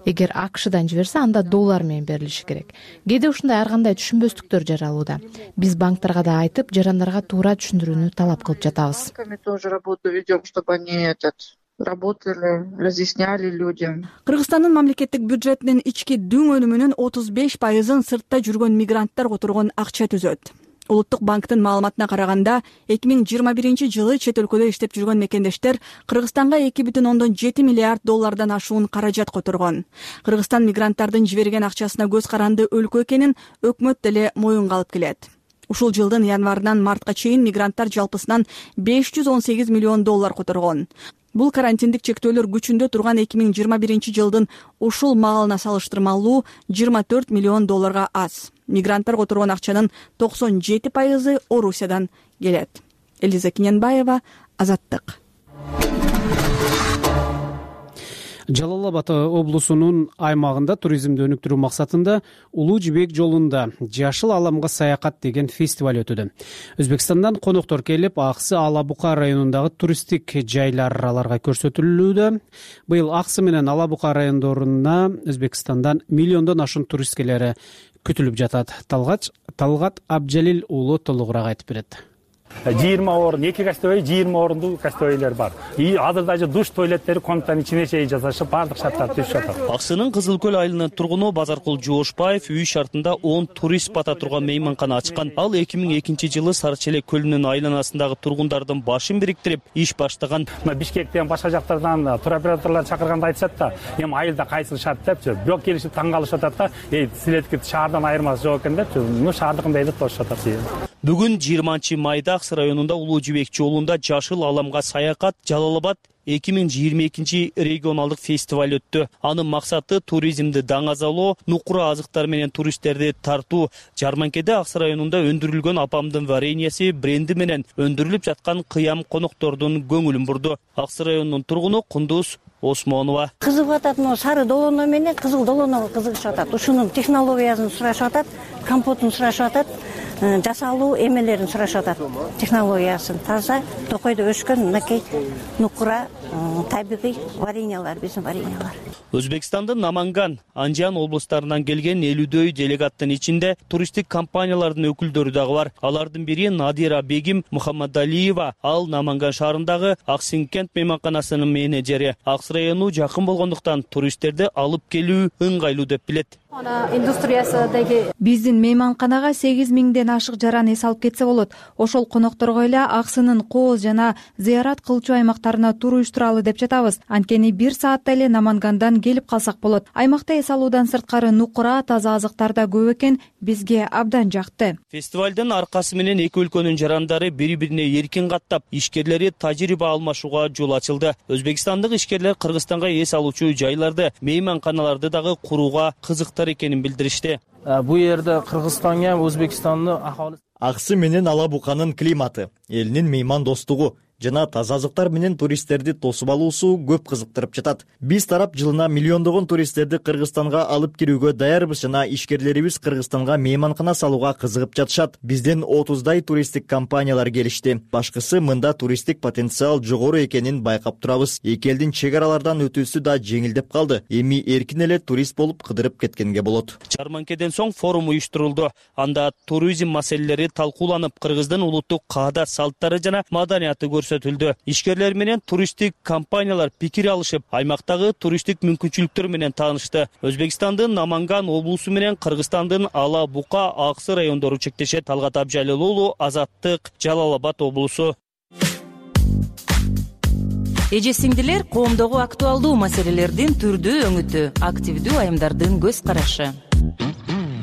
Эгер АКШдан жиберсе, анда доллар менен берилиши керек. Кээде ушундай ар кандай түшүнбөстүктөр жаралууда. Биз банктарга да айтып, жарандарга туура түшүндүрүүнү талап кылып жатабыз. Мы тоже работу ведем, чтобы они этот работали, разъясняли людям. Кыргызстандын мамлекеттик бюджетинин ички дүң өнүмүнүн отуз беш пайызын сыртта жүргөн мигранттар которгон акча түзөт. Улуттук банктын маалыматына караганда, эки миң жыйырма биринчи жылы чет өлкөдө иштеп жүргөн мекендештер Кыргызстанга эки бүтүн ондон жети миллиард доллардан ашуун каражат которгон. Кыргызстан мигранттардын жиберген акчасына көз каранды өлкө экенин өкмөт деле моюнга алып келет. Ушул жылдын январынан мартка чейин мигранттар жалпысынан беш жүз он сегиз миллион доллар которгон. Бул карантиндик чектөөлөр күчүндө турган эки миң жыйырма биринчи жылдын ушул маалына салыштырмалуу жыйырма төрт миллион долларга аз. Мигранттар которгон акчанын токсон жети пайызы Орусиядан келет. Элиза Киненбаева, Азаттык. Жалал Абад облусунун аймагында туризмди өнүктүрүү максатында Улуу Жибек жолунда Жашыл аламга саякат деген фестиваль өтүүдө. Өзбекстандан коноктор келип, Аксы Ала Бука районундагы туристтик жайлар аларга көрсөтүлүүдө. Быйыл Аксы менен Ала Бука райондоруна Өзбекстандан миллиондон ашуун турист келери күтүлүп жатат. Талгат Талгат Абджалил уулу толугураак айтып берет. жыйырма орун, эки гостевой, жыйырма орундуу гостевойлер бар. И азыр даже душ туалеттери конуктан ичине чейин жасашып, баардык шарттар түзүп жатат. Аксынын Кызыл көл айылынын тургуну Базаркул Жоошбаев үй шартында он турист бата турган мейманкана ачкан. Ал эки миң экинчи жылы Сарычелек көлүнүн айланасындагы тургундардын башын бириктирип иш баштаган. Бишкектен башка жактардан туроператорлор чакырганда айтышат да, эми айылда кайсыл шарт депчи, бирок келишип таң калышып атат да, эй, силердики шаардан айырмасы жок экен депчи, ну шаардыкындай деп болушуп атат. Бүгүн жыйырманчы майда Аксы районунда Улуу Жибек жолунда Жашыл аламга саякат Жалал Абад эки миң жыйырма экинчи регионалдык фестиваль өттү. Анын максаты туризмди даңазалоо, нукура азыктар менен туристтерди тартуу. Жарманкеде Аксы районунда өндүрүлгөн апамдын вареньясы бренди менен өндүрүлүп жаткан кыям коноктордун көңүлүн бурду. Аксы районунун тургуну Кундуз Осмонова. Кызыгып атат, но сары долоно менен кызыл долоного кызыгышып атат. Ушунун технологиясын сурашып атат, компотун сурашып атат, жасалуу эмелерин сурашып атат. Технологиясын таза токойдо өскөн мынакей нукура табигый вареньялар, биздин вареньялар. Өзбекстандын Наманган, Анжан облустарынан келген элүүдөй делегаттын ичинде туристтик компаниялардын өкүлдөрү дагы бар. Алардын бири Надира Бегим Мухаммадалиева, ал Наманган шаарындагы Аксинкент мейманканасынын менеджери. Аксы району жакын болгондуктан туристтерди алып келүү ыңгайлуу деп билет. Биздин мейманканага сегиз миңден ашык жаран эс алып кетсе болот. Ошол конокторго эле Аксынын кооз жана зыярат кылчу аймактарына тур уюштуралы деп жатабыз. Анткени бир саатта эле Намангандан келип калсак болот. Аймакта эс алуудан сырткары нукура, таза азыктар да көп экен, бизге абдан жакты. Фестивалдын аркасы менен эки өлкөнүн жарандары бири-бирине эркин каттап, ишкерлери тажрыйба алмашууга жол ачылды. Өзбекстандык ишкерлер Кыргызстанга эс алуучу жайларды, мейманканаларды дагы курууга кызыктар экенин билдиришти. Бу жерде Кыргызстанга Өзбекстандын ахалысы Аксы менен Ала Буканын климаты, элинин мейман достугу жана таза азыктар менен туристтерди тосуп алуусу көп кызыктырып жатат. Биз тарап жылына миллиондогон туристтерди Кыргызстанга алып кирүүгө даярбыз жана ишкерлерибиз Кыргызстанга мейманкана салууга кызыгып жатышат. Бизден отуздай туристтик компаниялар келишти. Башкысы мында туристтик потенциал жогору экенин байкап турабыз. Эки элдин чек аралардан өтүүсү да жеңилдеп калды. Эми эркин эле турист болуп кыдырып кеткенге болот. Жарманкеден соң форум уюштурулду. Анда туризм маселелери талкууланып, Кыргыздын улуттук каада салттары жана маданияты көрсөтүлдү. көрсөтүлдү. Ишкерлер менен туристтик компаниялар пикир алышып, аймактагы туристтик мүмкүнчүлүктөр менен таанышты. Өзбекстандын Наманган облусу менен Кыргызстандын Ала Бука, Аксы райондору чектешет. Талгат Абжалил уулу, Азаттык, Жалал-Абад облусу. Эже сиңдилер, коомдогу актуалдуу маселелердин түрдүү өңүтү, активдүү айымдардын көз карашы.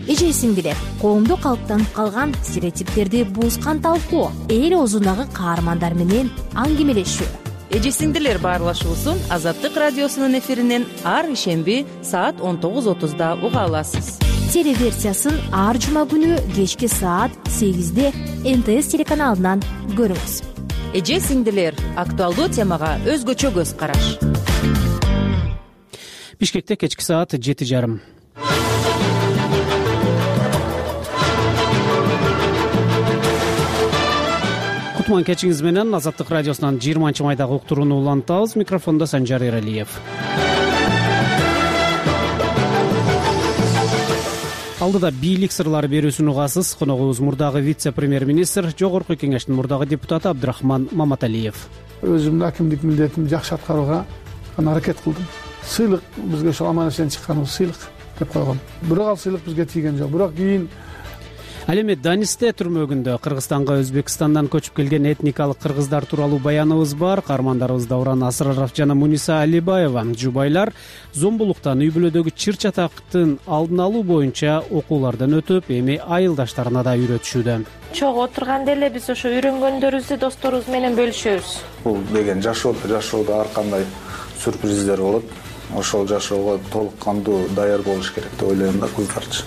Эже сиңдилер, коомдо калыптанып калган стереотиптерди буузган талкуу, эл оозундагы каармандар менен аңгемелешүү. Эже сиңдилер баарлашуусун Азаттык радиосунун эфиринен ар ишемби саат он тогуз отузда уга аласыз. Телеверсиясын ар жума күнү кечки саат сегизде эн тэ эс телеканалынан көрүңүз. Эже сиңдилер, актуалдуу темага өзгөчө көз караш. Бишкекте кечки саат жети жарым. Кутман кечиңиз менен Азаттык радиосунан жыйырманчы майдагы уктурууну улантабыз. Микрофондо Санжар Эралиев. Алдыда бийлик сырлары берүүсүн угасыз. Коногубуз мурдагы вице-премьер-министр, жогорку кеңештин мурдагы депутаты Абдрахман Маматалиев. Өзүмдүн акимдик милдетимди жакшы аткарууга аракет кылдым. Сыйлык бизге ошол аман-эсен чыкканыбыз сыйлык деп койгом. Бирок ал сыйлык бизге тийген жок. Бирок кийин Ал эми Данисте түрмөгүндө Кыргызстанга Өзбекстандан көчүп келген этникалык кыргыздар тууралуу баяныбыз бар. Каармандарыбыз Дауран Асыраров жана Муниса Алибаева жубайлар зомбулуктан үй бүлөдөгү чыр-чатактын алдын алуу боюнча окуулардан өтүп, эми айылдаштарына да үйрөтүшүүдө. Чогуу отурганда эле биз ошо үйрөнгөндөрүбүздү досторубуз менен бөлүшөбүз. Бул деген жашоодо жашоодо ар кандай сюрприздер болот. Ошол жашоого толук кандуу даяр болуш керек деп ойлойм да кыздарчы.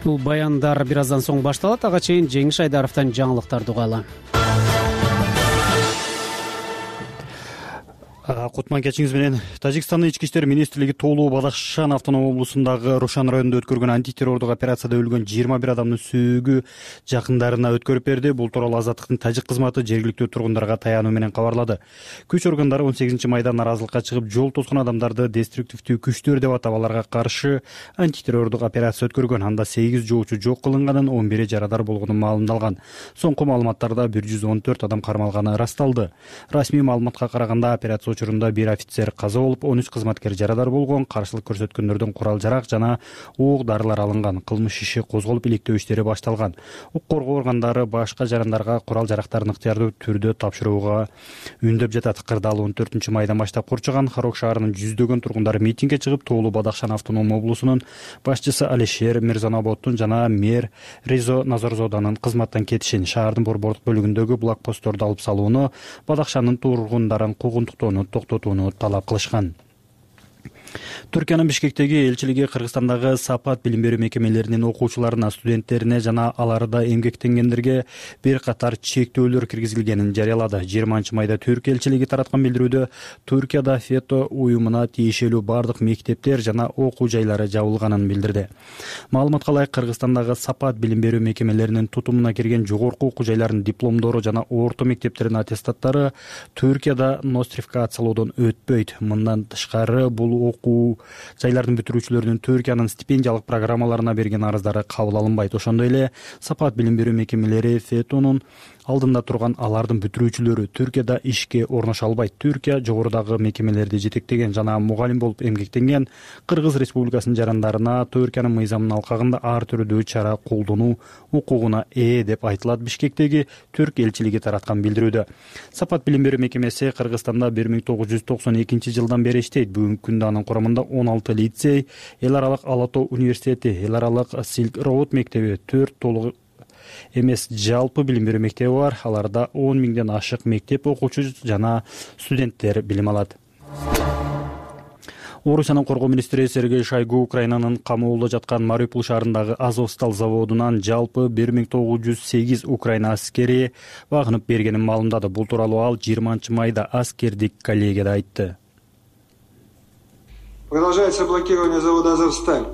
Бул баяндар бир аздан соң башталат. Ага чейин Жеңиш Айдаровдон жаңылыктарды угалы. Кутман кечиңиз менен Тажикстандын ички иштер министрлиги тоолуу Бадахшан автоном облусундагы Рошан районунда өткөргөн антитеррордук операцияда өлгөн жыйырма бир адамдын сөөгү жакындарына өткөрүп берди. Бул тууралуу Азаттыктын тажик кызматы жергиликтүү тургундарга таянуу менен кабарлады. Күч органдары он сегизинчи майда наразылыкка чыгып, жол тоскон адамдарды деструктивдүү күчтөр деп атап, аларга каршы антитеррордук операция өткөргөн. Анда сегиз жоочу жок кылынганын, он бири жарадар болгону маалымдалган. Соңку маалыматтарда бир жүз он төрт адам кармалганы ырасталды. Расмий маалыматка караганда операция учурунда бир офицер каза болуп, он үч кызматкер жарадар болгон. Каршылык көрсөткөндөрдөн курал-жарак жана ок дарылар алынган. Кылмыш иши козголуп, иликтөө иштери башталган. Укук коргоо органдары башка жарандарга курал-жарактарын ыктыярдуу түрдө тапшырууга үндөп жатат. Кырдаал он төртүнчү майдан баштап курчаган Харок шаарынын жүздөгөн тургундары митингге чыгып, тоолуу Бадахшан автоном облусунун башчысы Алишер Мирзанабоддун жана мэр Резо Назарзоданын кызматтан кетишин, шаардын борбордук бөлүгүндөгү блокпостторду алып салууну, Бадахшандын тургундарын куугунтуктоону токтотууну талап кылышкан. Түркиянын Бишкектеги элчилиги Кыргызстандагы сапат билим берүү мекемелеринин окуучуларына, студенттерине жана аларда эмгектенгендерге бир катар чектөөлөр киргизилгенин жарыялады. жыйырманчы майда Түркия элчилиги тараткан билдирүүдө Түркияда фето уюмуна тиешелүү бардык мектептер жана окуу жайлары жабылганын билдирди. Маалыматка ылайык, Кыргызстандагы сапат билим берүү мекемелеринин тутумуна кирген жогорку окуу жайларынын дипломдору жана орто мектептердин аттестаттары Түркияда нострификациялоодон өтпөйт. Мындан тышкары, бул окуу жайлардын бүтүрүүчүлөрүнүн Түркиянын стипендиялык программаларына берген арыздары кабыл алынбайт. Ошондой эле сапат билим берүү мекемелери фетонун алдында турган алардын бүтүрүүчүлөрү Түркияда ишке орношо албайт. Түркия жогорудагы мекемелерди жетектеген жана мугалим болуп эмгектенген Кыргыз Республикасынын жарандарына Түркиянын мыйзамынын алкагында ар түрдүү чара колдонуу укугуна ээ деп айтылат. Бишкектеги Түрк элчилиги тараткан билдирүүдө. Сапат билим берүү мекемеси Кыргызстанда бир миң тогуз жүз токсон экинчи жылдан бери иштейт. Бүгүнкү күндө анын курамында он алты лицей, эл аралык Ала Тоо университети, эл аралык Silk Road мектеби, төрт толук эмес жалпы билим берүү мектеби бар. Аларда он миңден ашык мектеп окуучу жана студенттер билим алат. Орусиянын коргоо министри Сергей Шойгу Украинанын камоолдо жаткан Мариуполь шаарындагы Азовсталь заводунан жалпы бир миң тогуз жүз сегиз Украина аскери багынып бергенин маалымдады. Бул тууралуу ал жыйырманчы майда аскердик коллегияда айтты. Продолжается блокирование завода «Азовсталь».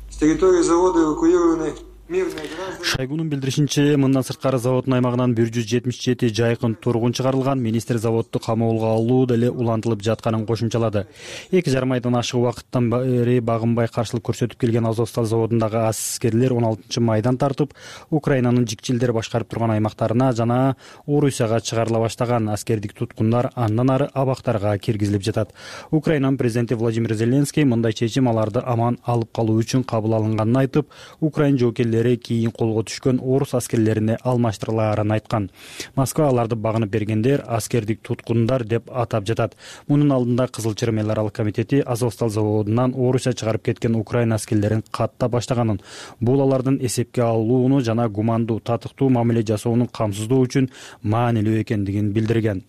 С территории завода эвакуированы Шойгунун билдиришинче, мындан сырткары заводдун аймагынан бир жүз жетимиш жети жайкын тургун чыгарылган. Министр заводду камоолго алуу деле улантылып жатканын кошумчалады. эки жарым айдан ашык убакыттан бери багынбай каршылык көрсөтүп келген Азовсталь заводундагы аскерлер он алтынчы майдан тартып, Украинанын жикчилдер башкарып турган аймактарына жана Орусияга чыгарыла баштаган. Аскердик туткундар андан ары абактарга киргизилип жатат. Украинанын президенти Владимир Зеленский мындай чечим аларды аман алып калуу үчүн кабыл алынганын айтып, Украин жоокерлери кийин колго түшкөн орус аскерлерине алмаштырылаарын айткан. Москва аларды багынып бергендер аскердик туткундар деп атап жатат. Мунун алдында Кызыл Чырым эл аралык комитети Азовсталь заводунан Орусия чыгарып кеткен Украин аскерлерин катта баштаганын, бул алардын эсепке алууну жана гумандуу татыктуу мамиле жасоону камсыздоо үчүн маанилүү экендигин билдирген.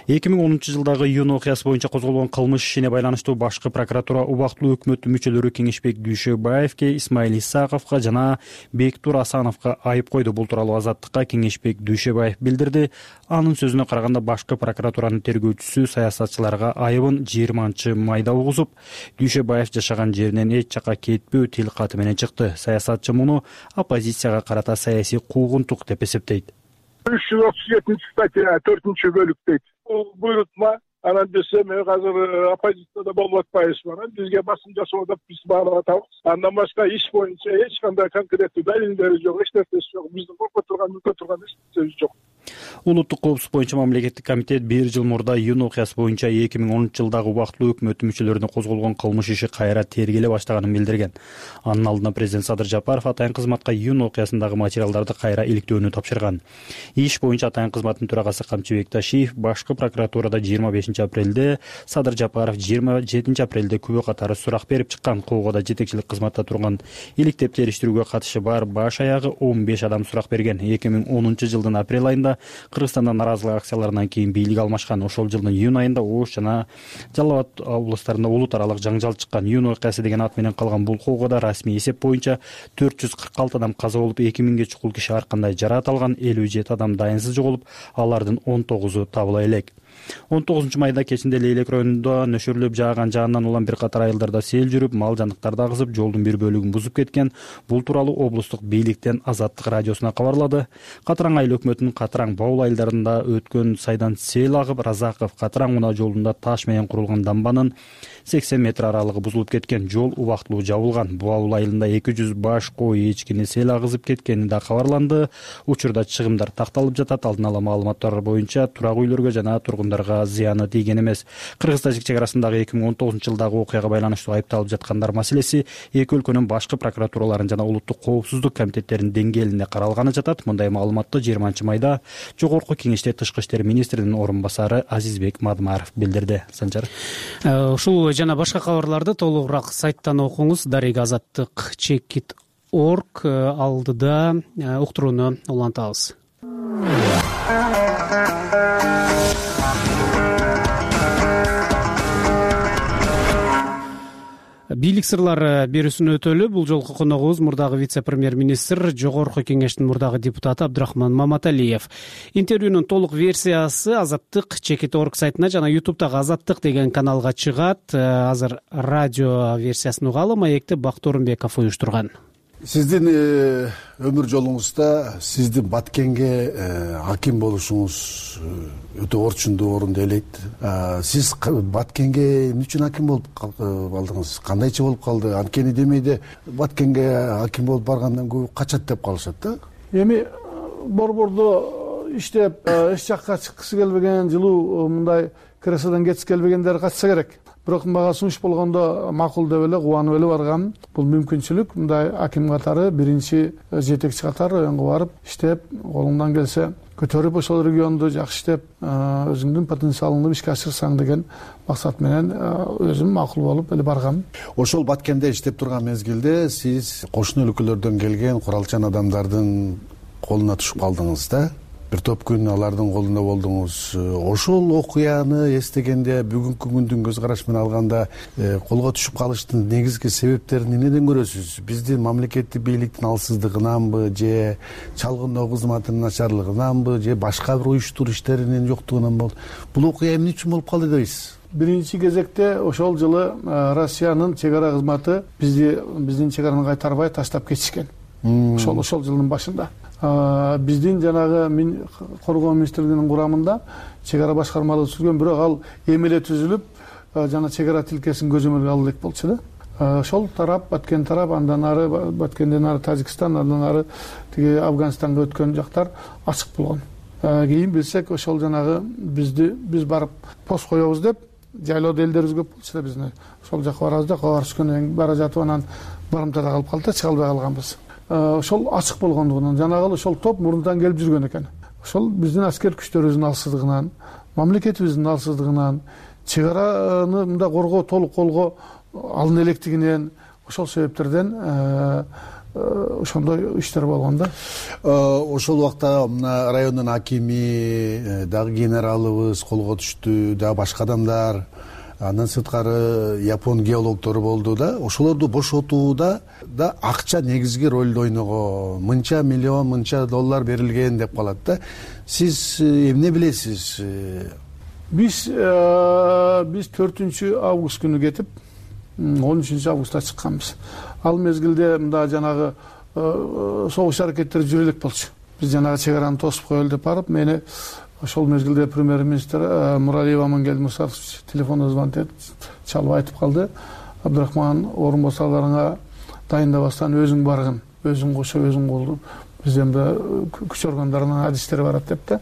эки миң онунчу жылдагы июнь окуясы боюнча козголгон кылмыш ишине байланыштуу башкы прокуратура убактылуу өкмөттүн мүчөлөрү Кеңешбек Дүйшөбаевке, Исмаил Исаковго жана Бектур Асановго айып койду. Бул тууралуу Азаттыкка Кеңешбек Дүйшөбаев билдирди. Анын сөзүнө караганда, башкы прокуратуранын тергөөчүсү саясатчыларга айыбын жыйырманчы майда угузуп, Дүйшөбаев жашаган жеринен эч жакка кетпөө тил каты менен чыкты. Саясатчы муну оппозицияга карата саясий куугунтук деп эсептейт. үч жүз отуз жетинчи статья төртүнчү бөлүк дейт. Бул буйрутма. Анан десем, азыр оппозицияда болуп атпайбызбы? Анан бизге басым жасоодо биз баалап атабыз. Андан башка иш боюнча эч кандай конкреттүү далилдери жок, эч нерсеси жок. Биздин коркуп турган, мүкө турган эч нерсебиз жок. Улуттук коопсуздук боюнча мамлекеттик комитет бир жыл мурда июнь окуясы боюнча эки миң онунчу жылдагы убактылуу өкмөттүн мүчөлөрүнө козголгон кылмыш иши кайра тергеле баштаганын билдирген. Анын алдында президент Садыр Жапаров атайын кызматка июнь окуясындагы материалдарды кайра иликтөөнү тапшырган. Иш боюнча атайын кызматтын төрагасы Камчыбек Ташиев башкы прокуратурада жыйырма бешинчи апрелде, Садыр Жапаров жыйырма жетинчи апрелде күбө катары сурак берип чыккан. Куугада жетекчилик кызматта турган иликтеп териштирүүгө катышы бар баш аягы он беш адам сурак берген. эки миң онунчу жылдын апрель айында Кыргызстанда наразылык акцияларынан кийин бийлик алмашкан. Ошол жылдын июнь айында Ош жана Жалал Абад облустарында улут аралык жаңжал чыккан. Июнь окуясы деген ат менен калган бул куугада расмий эсеп боюнча төрт жүз кырк алты адам каза болуп, эки миңге чукул киши ар кандай жараат алган, элүү жети адам дайынсыз жоголуп, алардын он тогузу табыла элек. он тогузунчу майда кечинде Лейлек районунда нөшөрлөп жааган жаандан улам бир катар айылдарда сел жүрүп, мал жандыктарды агызып, жолдун бир бөлүгүн бузуп кеткен. Бул тууралуу облустук бийликтен Азаттык радиосуна кабарлады. Катыраң айыл өкмөтүнүн Катыраң Баул айылдарында өткөн сайдан сел агып, Разаков Катыраң унаа жолунда таш менен курулган дамбанын сексен метр аралыгы бузулуп кеткен. Жол убактылуу жабылган. Баул айылында эки жүз баш кой эчкини сел агызып кеткени да кабарланды. Учурда чыгымдар такталып жатат. Алдын ала маалыматтар боюнча турак үйлөргө жана тургундарга зыяны тийген эмес. Кыргыз-тажик чек арасындагы эки миң он тогузунчу жылдагы окуяга байланыштуу айыпталып жаткандар маселеси эки өлкөнүн башкы прокуратураларын жана улуттук коопсуздук комитеттеринин деңгээлинде каралганы жатат. Мындай маалыматты жыйырманчы майда Жогорку Кеңеште Тышкы иштер министринин орун басары Азизбек Мадмаров билдирди. Санжар. Ушул жана башка кабарларды толугураак сайттан окуңуз. Дарега Азаттык чекит орг алдыда уктурууну улантабыз. Бийлик сырлары берүүсүн өтөлү. Бул жолку коногубуз мурдагы вице-премьер-министр, Жогорку Кеңештин мурдагы депутаты Абдрахман Маматалиев. Интервьюнун толук версиясы Азаттык чекит орг сайтына жана ютубтагы Азаттык деген каналга чыгат. Азыр радио версиясын угалы. Маекти Бактор Орунбеков уюштурган. Сиздин өмүр жолуңузда сиздин Баткенге аким болушуңуз өтө орчундуу орунду ээлейт. Сиз Баткенге эмне үчүн аким болуп калдыңыз? Кандайча болуп калды? Анткени демейде Баткенге аким болуп баргандан көбү качат деп калышат да. Эми борбордо иштеп эч жакка чыккысы келбеген, жылуу мындай креслодон кеткиси келбегендер катса керек. Бирок мага сунуш болгондо макул деп эле кубанып эле баргам. Бул мүмкүнчүлүк. Мындай аким катары, биринчи жетекчи катары районго барып иштеп, колуңдан келсе көтөрүп ошол регионду жакшы иштеп, өзүңдүн потенциалыңды ишке ашырсаң деген максат менен өзүм макул болуп эле баргам. Ошол Баткенде иштеп турган мезгилде сиз кошуна өлкөлөрдөн келген куралчан адамдардын колуна түшүп калдыңыз да. Бир топ күн алардын колунда болдуңуз. Ошол окуяны эстегенде, бүгүнкү күндүн көз карашы менен алганда, колго түшүп калыштын негизги себептерин эмнеден көрөсүз? Биздин мамлекеттик бийликтин алсыздыгынанбы, же чалгындоо кызматынын начарлыгынанбы, же башка бир уюштуруу иштеринин жоктугунанбы? Бул окуя эмне үчүн болуп калды дейсиз? Биринчи кезекте ошол жылы Россиянын чек ара кызматы бизди биздин чек араны кайтарбай таштап кетишкен. ошол ошол жылдын башында биздин жанагы коргоо министрлигинин курамында чек ара башкармалыгы түзүлгөн, бирок ал эмеле түзүлүп жана чек ара тилкесин көзөмөлгө алуу элек болчу да. Ошол тарап, Баткен тарап, андан ары Баткенден ары Тажикстан, андан ары тиги Афганистанга өткөн жактар ачык болгон. Кийин билсек, ошол жанагы бизди биз барып пост коебуз деп жайлоодо элдерибиз көп болчу да, бизни ошол жака барабыз да, кабар түшкөндөн кийин бара жатып анан барымтада калып калды да, чыга албай калганбыз. Ошол ачык болгондугунан жанагы ошол топ мурунтан келип жүргөн экен. Ошол биздин аскер күчтөрүбүздүн алсыздыгынан, мамлекетибиздин алсыздыгынан, чек араны мындай коргоо толук колго алына электигинен, ошол себептерден ошондой иштер болгон да. Ошол убакта райондун акими дагы генералыбыз колго түштү, дагы башка адамдар, андан сырткары япон геологтору болду да. Ошолорду бошотууда да акча негизги ролду ойногон. Мынча миллион, мынча доллар берилген деп калат да. Сиз эмне билесиз? Биз биз төртүнчү август күнү кетип, он үчүнчү августта чыкканбыз. Ал мезгилде мында жанагы согуш аракеттери жүрө элек болчу. Биз жанагы чек араны тосуп коелу деп барып, мени ошол мезгилде премьер-министр Муралиев Амангелди Мусаевич телефондо звонок этип чалып айтып калды: Абдрахман, орун басарларыңа дайындабастан өзүң баргын, өзүң кошо, өзүң кол, бизден күч органдарынын адистери барат деп да.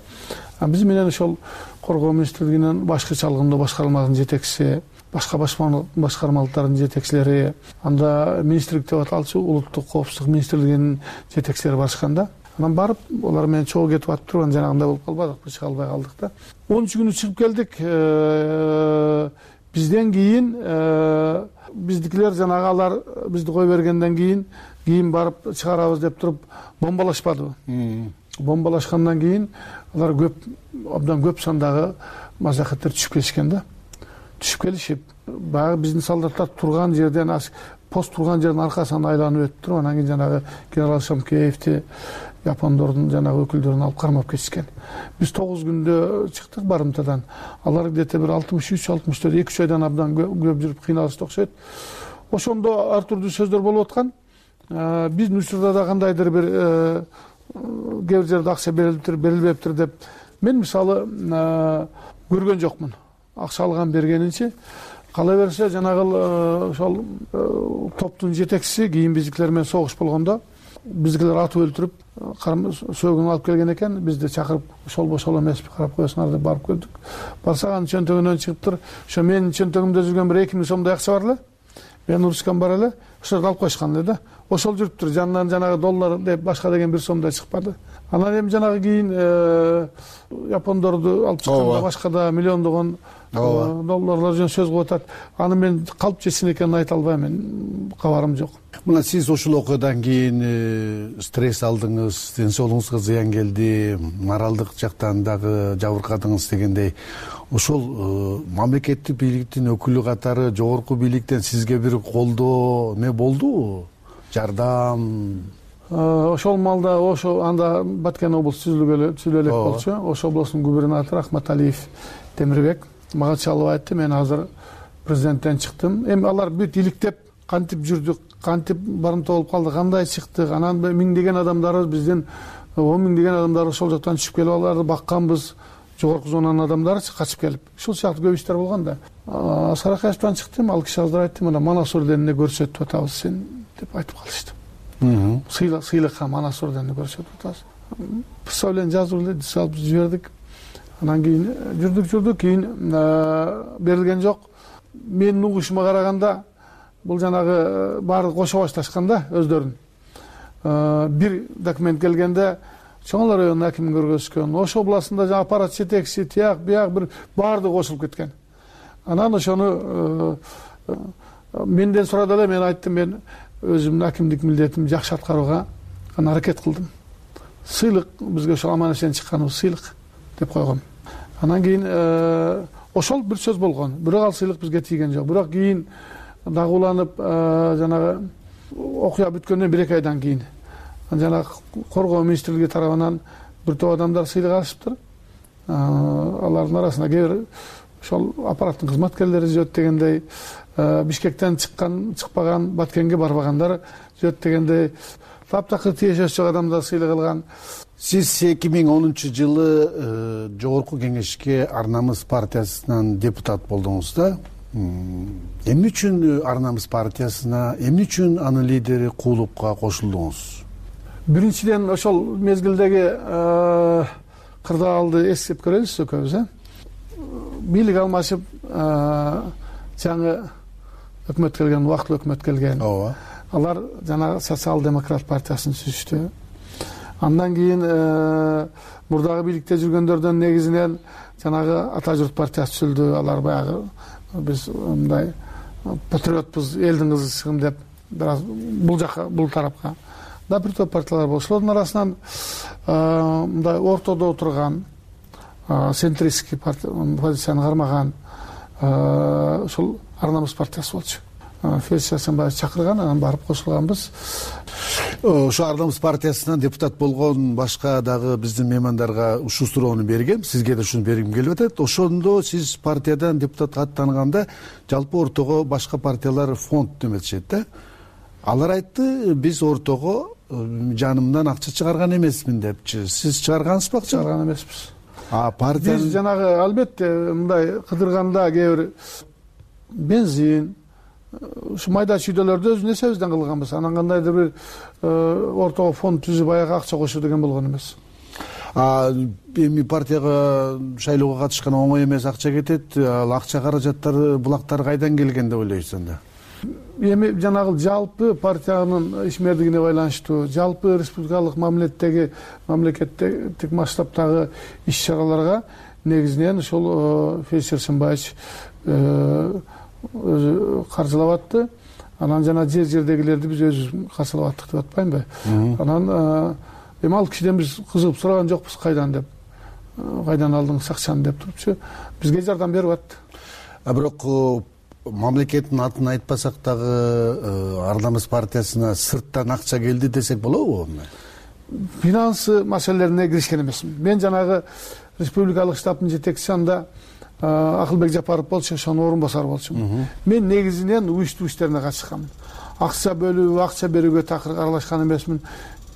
Биз менен ошол коргоо министрлигинин башкы чалгындоо башкармалыгынын жетекчиси, башка башкармалыктардын жетекчилери, анда министрлик деп аталчу улуттук коопсуздук министрлигинин жетекчилери барышкан да. Анан барып, олар менен чогуу кетип атып туруп, жанагындай болуп калбадык, чыга албай калдык да. онунчу күнү чыгып келдик. Бизден кийин биздикилер жанагы алар бизди кое бергенден кийин, кийин барып чыгарабыз деп туруп бомбалашпадыбы? Бомбалашкандан кийин алар көп, абдан көп сандагы мажахеттер түшүп келишкен да. Түшүп келишип, баягы биздин солдаттар турган жерден, пост турган жердин аркасынан айланып өтүп туруп, анан кийин жанагы генерал Шамкеевди, япондордун жанагы өкүлдөрүн алып кармап кетишкен. Биз тогуз күндө чыктык барымтадан. Алар где-то бир алтымыш үч алтымыш төрт эки үч айдан абдан көп жүрүп кыйналышты окшойт. Ошондо ар түрдүү сөздөр болуп аткан. Биздин учурда да кандайдыр бир кээ бир жерде акча берилиптир, берилбептир деп мен мисалы көргөн жокмун. Акча алган бергенинчи. Кала берсе жанагы ошол топтун жетекчиси кийин биздикилер менен согуш болгондо биздикилер атып өлтүрүп, сөөгүн алып келген экен. Бизди чакырып, ошол бошол эмеспи, карап коесуңар деп барып көрдүк. Барсак анын чөнтөгүнөн чыгыптыр. Ошо менин чөнтөгүмдө жүргөн бир эки миң сомдой акча бар эле. Мен урушкан бар эле. Ошолорду алып коюшкан эле да. Ошол жүрүптүр. Жанынан жанагы доллар деп башка деген бир сомдой чыкпады. Анан эми жанагы кийин япондорду алып чыкканда башка да миллиондогон долларлар жөн сөз кылып атат. Аны мен калп чечсин экенин айта албайм, мен кабарым жок. Мына сиз ошол окуядан кийин стресс алдыңыз, ден соолугуңузга зыян келди, моралдык жактан дагы жабыркадыңыз дегендей. Ошол мамлекеттик бийликтин өкүлү катары жогорку бийликтен сизге бир колдоо не болдубу? Жардам? Ошол малда ошо анда Баткен облусу түзүлө элек болчу. Ошо облустун губернатору Ахматалиев Темирбек мага чалып айтты: мен азыр президенттен чыктым. Эми алар бүт иликтеп, кантип жүрдүк, кантип барымта болуп калды, кандай чыктык. Анан миңдеген адамдарыбыз, биздин он миңдеген адамдар ошол жактан түшүп келип, аларды бакканбыз. Жогорку зонанын адамдары качып келип. Ушул сыяктуу көп иштер болгон да. Саракаевтан чыктым, ал киши азыр айтты: мына Манас орденине көрсөтүп атабыз сен деп айтып калышты. Сыйлык, сыйлыкка Манас орденине көрсөтүп атабыз. Представление жазып эле салып жибердик. Анан кийин жүрдүк жүрдүк, кийин берилген жок. Менин угушума караганда бул жанагы баары кошо башташкан да өздөрүн. Бир документ келгенде Чоңла районунун акимин көргөзүшкөн. Ошо областында жаңа аппарат жетекчиси, тияк, бияк бир баардыгы кошулуп кеткен. Анан ошону менден сурады эле, мен айттым: мен өзүмдүн акимдик милдетимди жакшы аткарууга аракет кылдым. Сыйлык бизге ошол аман эсен чыкканыбыз сыйлык деп койгом. Анан кийин ошол бир сөз болгон. Бирок ал сыйлык бизге тийген жок. Бирок кийин дагы уланып, жанагы окуя бүткөндөн бир эки айдан кийин жанагы коргоо министрлиги тарабынан бир топ адамдар сыйлык алышыптыр. Алардын арасында кээ бир ошол аппараттын кызматкерлери жүрөт дегендей, Бишкектен чыккан, чыкпаган, Баткенге барбагандар жүрөт дегендей таптакыр тиешеси жок адамдар сыйлык алган. Сиз эки миң онунчу жылы Жогорку Кеңешке Ар Намыс партиясынан депутат болдуңуз да. Эмне үчүн Ар Намыс партиясына, эмне үчүн анын лидери Куулукка кошулдуңуз? Биринчиден ошол мезгилдеги кырдаалды эскеп көрөлүбүз экөөбүз, э? Бийлик алмашып, жаңы өкмөт келген, убактылуу өкмөт келген. Ооба. Алар жанагы социал-демократ партиясын түзүштү. Андан кийин мурдагы бийликте жүргөндөрдөн негизинен жанагы Ата журт партиясы түзүлдү. Алар баягы биз мындай патриотпуз, элдин кызысымын деп бир аз бул жакка, бул тарапка да бир топ партиялар болчу. Ошолордун арасынан мындай ортодо отурган, центристский позицияны кармаган ошол Ар Намыс партиясы болчу. Федор Асанбаев чакырган, анан барып кошулганбыз. Ошо Ар Намыс партиясынан депутат болгон башка дагы биздин меймандарга ушул суроону бергем, сизге да ушуну бергим келип атат. Ошондо сиз партиядан депутатка аттанганда жалпы ортого башка партиялар фонд деметишет да. Алар айтты, биз ортого жанымдан акча чыгарган эмесмин депчи. Сиз чыгаргансызбы акча? Чыгарган эмеспиз. А партия биз жанагы албетте мындай кыдырганда кээ бир бензин, ушу майда чүйдөлөрдү өз несебизден кылганбыз. Анан кандайдыр бир ортого фонд түзүп аяга акча кошуу деген болгон эмес. А эми партияга шайлоого катышкан оңой эмес, акча кетет. Ал акча каражаттары, булактар кайдан келген деп ойлойсуз анда? Эми жанагы жалпы партиянын ишмердигине байланыштуу, жалпы республикалык мамилеттеги, мамлекеттик масштабтагы иш-чараларга негизинен ошол Федор Асанбаевич өзү каржылап атты. Анан жана жер жердегилерди биз өзүбүз каржылап аттык деп атпаймынбы? Анан эми ал кишиден биз кызыгып сураган жокпуз, кайдан деп, кайдан алдыңыз акчаны деп турупчу, бизге жардам берип атты. А бирок мамлекеттин атын айтпасак дагы Ар Намыс партиясына сырттан акча келди десек болобу? Финансы маселелерине киришкен эмесмин. Мен жанагы республикалык штабтын жетекчиси анда Акылбек Жапаров болчу, ошонун орун басары болчумун. Мен негизинен уюштуу иштерине катышканмын. Акча бөлүү, акча берүүгө такыр аралашкан эмесмин.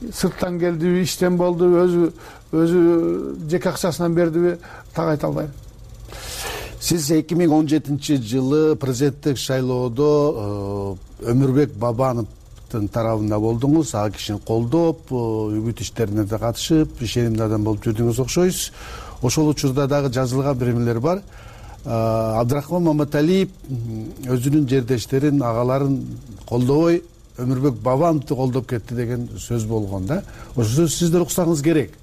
Сырттан келдиби, иштен болду, өзү өзү жеке акчасынан бердиби, так айта албайм. Сиз эки миң он жетинчи жылы президенттик шайлоодо Өмүрбек Бабановдун тарабында болдуңуз. Ал кишини колдоп, үгүт иштерине да катышып, ишенимдүү адам болуп жүрдүңүз окшойсуз. Ошол учурда дагы жазылган биремелер бар. Абдрахман Маматалиев өзүнүн жердештерин, агаларын колдобой, Өмүрбек Бабановду колдоп кетти деген сөз болгон да. Ошо сиздер уксаңыз керек.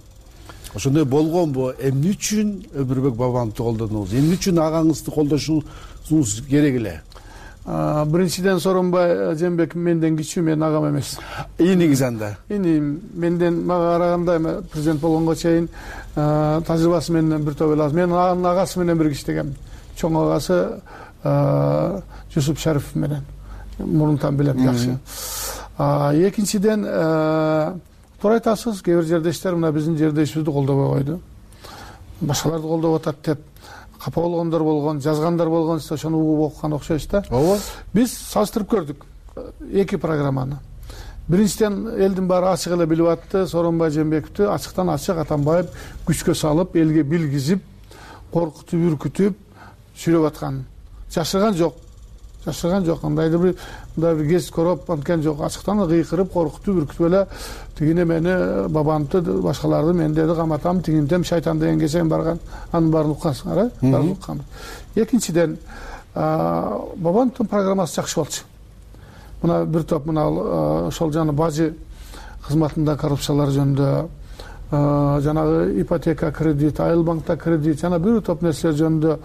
Ошондой болгонбу? Эмне үчүн Өмүрбек Бабановду колдодуңуз? Эмне үчүн агаңызды колдошуңуз керек эле? Биринчиден Сооронбай Жээнбеков менден кичүү, мен агам эмес. Ийиңиз анда? Иним, менден мага караганда президент болгонго чейин тажрыйбасы менен бир топ эле аз. Мен анын агасы менен бирге иштегем. Чоң агасы Жусуп Шарипов менен. Мурунтан билем жакшы. Экинчиден, туура айтасыз, кээ бир жердештер мына биздин жердешибизди колдобой койду. Башкаларды колдоп атат деп капа болгондор болгон, жазгандар болгон, сиз ошону угуп окуган окшойсуз да. Ооба. Биз салыштырып көрдүк эки программаны. Биринчиден элдин баары ачык эле билип атты, Сооронбай Жээнбековду ачыктан ачык Атамбаев күчкө салып, элге билгизип, коркутуп, үркүтүп сүйлөп аткан. Жашырган жок. Жашырган жок. Кандайдыр бир мындай бир кез короп анткан жок. Ачыктан кыйкырып, коркутуп, үркүтүп эле тигине мени, Бабановду, башкаларды мен деди каматам, тигинтем шайтан деген кесен барган. Анын баарын уккансыңар, э? Баарын укканбыз. Экинчиден, Бабановдун программасы жакшы болчу. Мына бир топ мына ошол жана бажы кызматында коррупциялар жөнүндө, жанагы ипотека кредит, Айыл банкта кредит, жана бир топ нерселер жөнүндө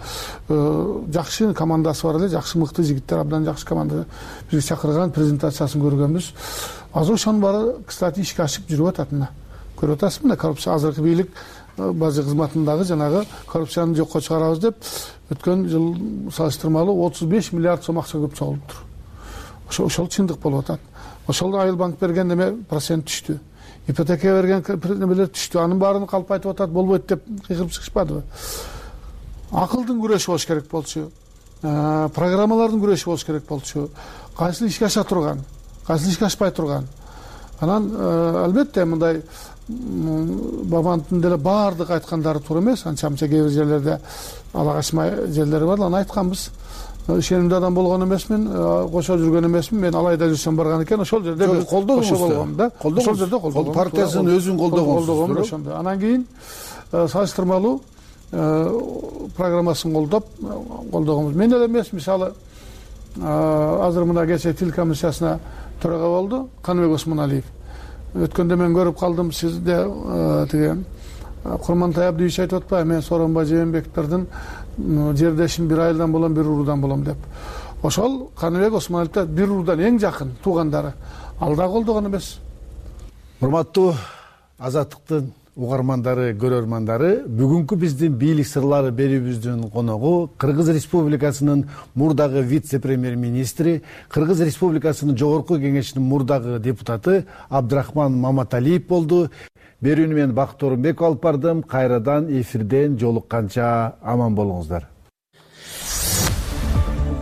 жакшы командасы бар эле, жакшы мыкты жигиттер, абдан жакшы команда бизге чакырган, презентациясын көргөнбүз. Азыр ошонун баары, кстати, ишке ашып жүрүп атат мына. Көрүп атасызбы мына коррупция азыркы бийлик бажы кызматындагы жанагы коррупцияны жокко чыгарабыз деп өткөн жыл салыштырмалуу отуз беш миллиард сом акча көп чогулуптур. Ошол чындык болуп атат. Ошол Айыл банк берген неме процент түштү. Ипотека берген немелер түштү. Анын баарын калп айтып атат, болбойт деп кыйкырып чыгышпадыбы? Акылдын күрөшү болуш керек болчу. Программалардын күрөшү болуш керек болчу. Кайсыл ишке аша турган, кайсыл ишке ашпай турган. анан албетте мындай бабановдун деле баардык айткандары туура эмес, анча мынча кээ бир жерлерде ала качмай жерлери бар. Аны айтканбыз. Ишенимдүү адам болгон эмесмин, кошо жүргөн эмесмин. Мен алайда жүрсөм барган экен, ошол жерде бир кошо болгом да. Ошол жерде колдогом. Партиясынын өзүн колдогонсуз. Ошондо. Анан кийин салыштырмалуу программасын колдоп колдогонбуз. Мен эле эмес, мисалы азыр мына кечээ тил комиссиясына төрага болду Каныбек Осмоналиев. Өткөндө мен көрүп калдым, сизде тиги Курмантай Абдиевич айтып атпайбы, мен Сооронбай Жээнбековдин жердешим, бир айылдан болом, бир уруудан болом деп. Ошол Каныбек Осмоналиевде бир уруудан эң жакын туугандары. Ал да колдогон эмес. Урматтуу Азаттыктын угармандары, көрөрмандары, бүгүнкү биздин бийлик сырлары берүүбүздүн коногу Кыргыз Республикасынын мурдагы вице-премьер-министри, Кыргыз Республикасынын Жогорку Кеңешинин мурдагы депутаты Абдрахман Маматалиев болду. Берүүнү мен Бакыт Орунбеков алып бардым. Кайрадан эфирден жолукканча аман болуңуздар.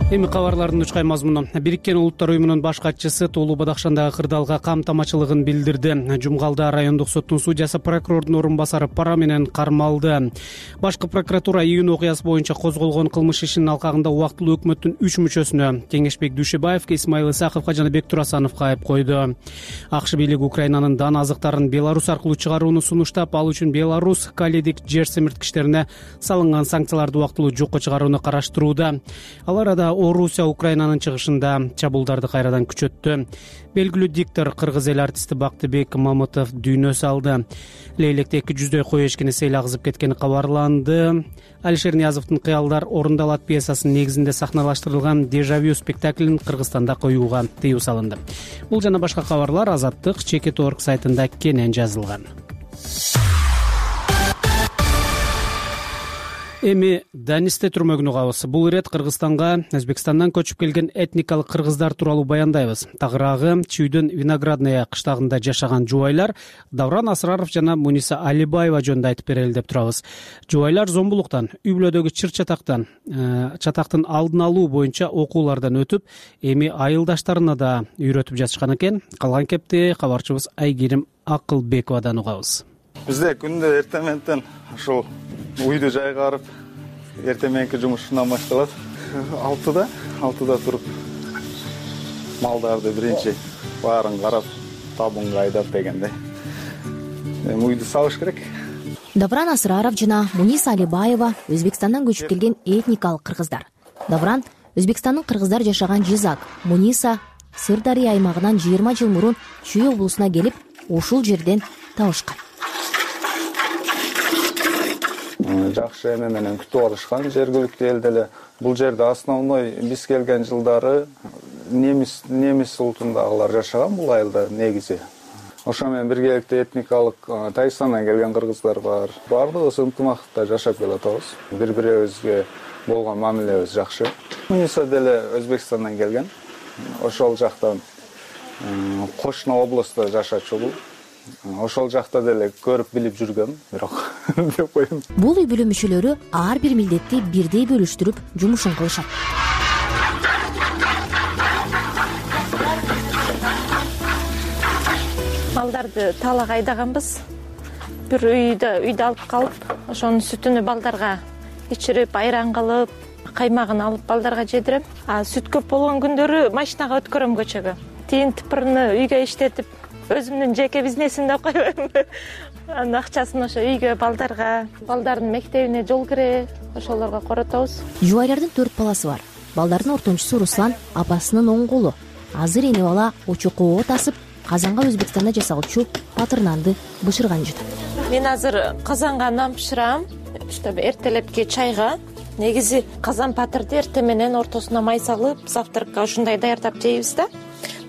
Эми кабарлардын учкай мазмуну. Бириккен Улуттар уюмунун баш катчысы Тоолуу Бадакшандагы кырдаалга камтамачылыгын билдирди. Жумгалда райондук соттун судьясы, прокурордун орун басары пара менен кармалды. Башкы прокуратура июнь окуясы боюнча козголгон кылмыш ишинин алкагында убактылуу өкмөттүн үч мүчөсүнө Кеңешбек Дүйшөбаевге, Исмаил Исаковго жана Бектур Асановго айып койду. АКШ бийлиги Украинанын дан азыктарын Беларусь аркылуу чыгарууну сунуштап, ал үчүн Беларусь Каледик жер семирткичтерине салынган санкцияларды убактылуу жокко чыгарууну караштырууда. Ал арада Орусия Украинанын чыгышында чабуулдарды кайрадан күчөттү. Белгилүү диктор кыргыз эл артисти Бактыбек Мамытов дүйнө салды. Лейлекте эки жүздөй кой эшкини сел агызып кеткени кабарланды. Алишер Ниязовдун «Кыялдар орундалат» пьесасынын негизинде сахналаштырылган «Дежавю» спектаклин Кыргызстанда коюуга тыюу салынды. Бул жана башка кабарлар Азаттык чекит точка орг сайтында кенен жазылган. Эми Данисте түрмөгүн угабыз. Бул ирет Кыргызстанга Өзбекстандан көчүп келген этникалык кыргыздар тууралуу баяндайбыз. Тагыраагы Чүйдүн Виноградная кыштагында жашаган жубайлар Давран Асраров жана Муниса Алибаева жөнүндө айтып берели деп турабыз. Жубайлар зомбулуктан, үй бүлөдөгү чыр чатактан, чатактын алдын алуу боюнча окуулардан өтүп, эми айылдаштарына да үйрөтүп жатышкан экен. Калган кепти кабарчыбыз Айгерим Акылбековадан угабыз. Бизде күндө эртең менен ушул үйдү жайгарып, эртең мененки жумушунан башталат. алтыда, алтыда туруп малдарды биринчи баарын карап, табынга айдап дегендей. Эми үйдү сабыш керек. Давран Асраров жана Муниса Алибаева Өзбекстандан көчүп келген этникалык кыргыздар. Давран Өзбекстандын кыргыздар жашаган Жизак, Муниса Сырдария аймагынан жыйырма жыл мурун Чүй облусуна келип, ушул жерден табышкан. Жакшы эме менен күтүп алышкан жергиликтүү эл деле. Бул жерде основной биз келген жылдары немис немис улутундагылар жашаган бул айылда негизи. Ошо менен биргеликте этникалык Тайстандан келген кыргыздар бар. Бардыгыбыз ынтымакта жашап келатабыз. Бири-бирибизге болгон мамилебиз жакшы. Муниса деле Өзбекстандан келген. Ошол жактан кошуна областта жашачу бул. Ошол жакта деле көрүп билип жүргөм, бирок деп коем. Бул үй бүлө мүчөлөрү ар бир милдетти бирдей бөлүштүрүп жумушун кылышат. Балдарды талак айдаганбыз. Бир үйдө үйдө алып калып, ошонун сүтүнү балдарга ичирип, айран кылып, каймагын алып балдарга жедирем. А сүт көп болгон күндөрү машинага өткөрөм көчөгө. Тиин тыпырны үйгө иштетип, өзүмдүн жеке бизнесимди койбойм. Анын акчасын ошо үйгө, балдарга, балдардын мектебине, жол кире, ошолорго коротобуз. Жубайлардын төрт баласы бар. Балдардын ортончусу Руслан апасынын оң колу. Азыр эне бала очокко тасып, казанга Өзбекстанда жасалчу патыр нанды бышырган жатат. Мен азыр казанга нан бышырам, чтобы эртелепки чайга. Негизи казан патырды эртең менен ортосуна май салып, завтракка ушундай даярдап жейбиз да.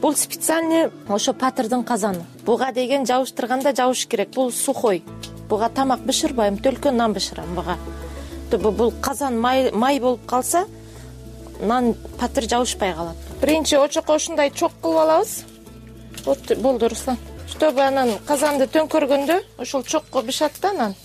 Бул специальный ошо патырдын казаны. Буга деген жабыштырганда жабыш керек. Бул сухой. Буга тамак бышырбайм, төлкөн нан бышырам буга. Бул казан май май болуп калса, нан патыр жабышпай калат. Биринчи очокко ушундай чок кылып алабыз. Вот болду, Руслан. Чтобы анан казанды төңкөргөндө ошол чокко бышат да нан.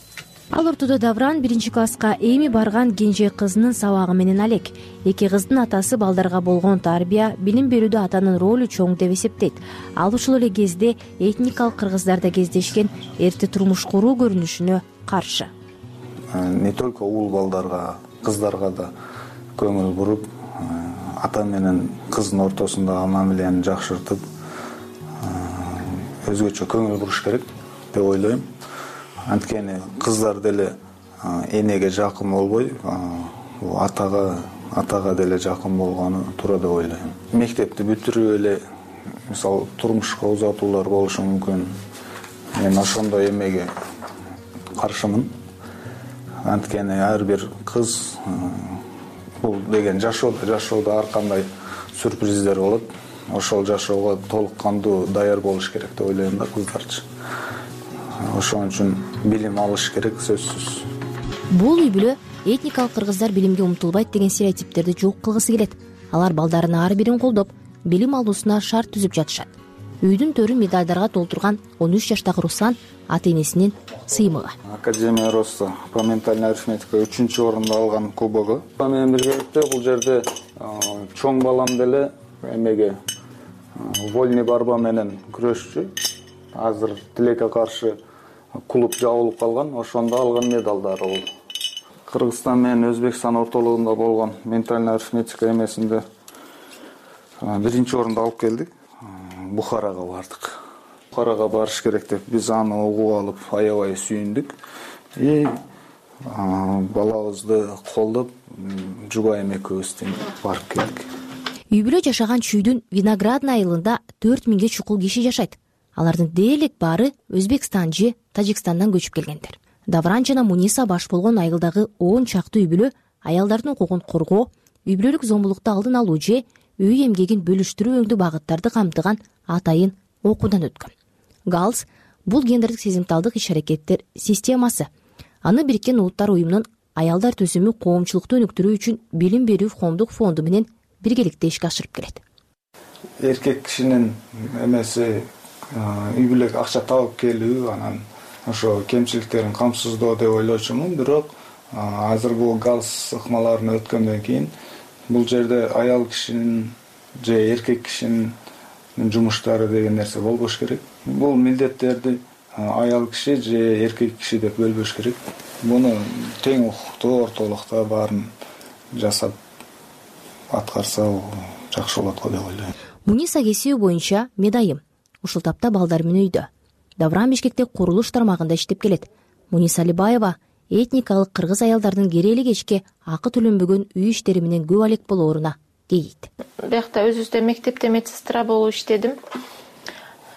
ал ортодо Давран биринчи класска эми барган кенже кызынын сабагы менен алек. Эки кыздын атасы балдарга болгон тарбия, билим берүүдө атанын ролу чоң деп эсептейт. Ал ушул эле кезде этникалык кыргыздарда кездешкен эрте турмуш куруу көрүнүшүнө каршы. Не только уул балдарга, кыздарга да көңүл буруп, ата менен кыздын ортосундагы мамилени жакшыртып, өзгөчө көңүл буруш керек деп ойлойм. Анткени кыздар деле энеге жакын болбой, атага атага деле жакын болгону туура деп ойлойм. Мектепти бүтүрүп эле мисалы турмушка узатуулар болушу мүмкүн. Мен ошондой эмеге каршымын. Анткени ар бир кыз бул деген жашоодо жашоодо ар кандай сюрприздер болот. Ошол жашоого толук кандуу даяр болуш керек деп ойлойм да кыздарчы. Ошон үчүн билим алыш керек сөзсүз. Бул үй бүлө этникалык кыргыздар билимге умтулбайт деген стереотиптерди жок кылгысы келет. Алар балдарын ар бирин колдоп, билим алуусуна шарт түзүп жатышат. Үйдүн төрүн медалдарга толтурган он үч жаштагы Руслан ата энесинин сыймыгы. Академия Роста по ментальной арифметике үчүнчү орунду алган кубогу. Менен биргеликте бул жерде чоң балам деле эмеге вольный борьба менен күрөшчү. Азыр тилекке каршы клуб жабылып калган, ошондо алган медалдары бул. Кыргызстан менен Өзбекстан ортолугунда болгон ментальный арифметика эмесинде биринчи орунду алып келдик. Бухарага бардык. Бухарага барыш керек деп биз аны угуп алып аябай сүйүндүк. И балабызды колдоп жубайым экөөбүз барып келдик. Үй бүлө жашаган чүйдүн Виноградный айылында төрт миңге чукул киши жашайт. Алардын дээрлик баары Өзбекстан же Тажикстандан көчүп келгендер. Давран жана Муниса баш болгон айылдагы он чакты үй бүлө аялдардын укугун коргоо, үй бүлөлүк зомбулукту алдын алуу же үй эмгегин бөлүштүрүү өңдүү багыттарды камтыган атайын окуудан өткөн. ГАЛС бул гендердик сезимталдык иш-аракеттер системасы. Аны Бириккен Улуттар уюмунун аялдар төзүмү коомчулукту өнүктүрүү үчүн билим берүү коомдук фонду менен биргеликте ишке ашырып келет. Эркек кишинин эмеси үй бүлөгө акча табып келүү, анан ошо кемчиликтерин камсыздоо деп ойлочумун. Бирок азыр бул галс ыкмаларын өткөндөн кийин бул жерде аял кишинин же эркек кишинин жумуштары деген нерсе болбош керек. Бул милдеттерди аял киши же эркек киши деп бөлбөш керек. Муну тең укуктуу ортолукта баарын жасап аткарса жакшы болот го деп ойлойм. Муниса кесиби боюнча медайым. Ушул тапта балдар менен үйдө. Давран Бишкекте курулуш тармагында иштеп келет. Муниса Алибаева этникалык кыргыз аялдардын керели кечке акы төлөнбөгөн үй иштери менен көп алек болооруна кейийт. Биякта өзүбүздө мектепте медсестра болуп иштедим.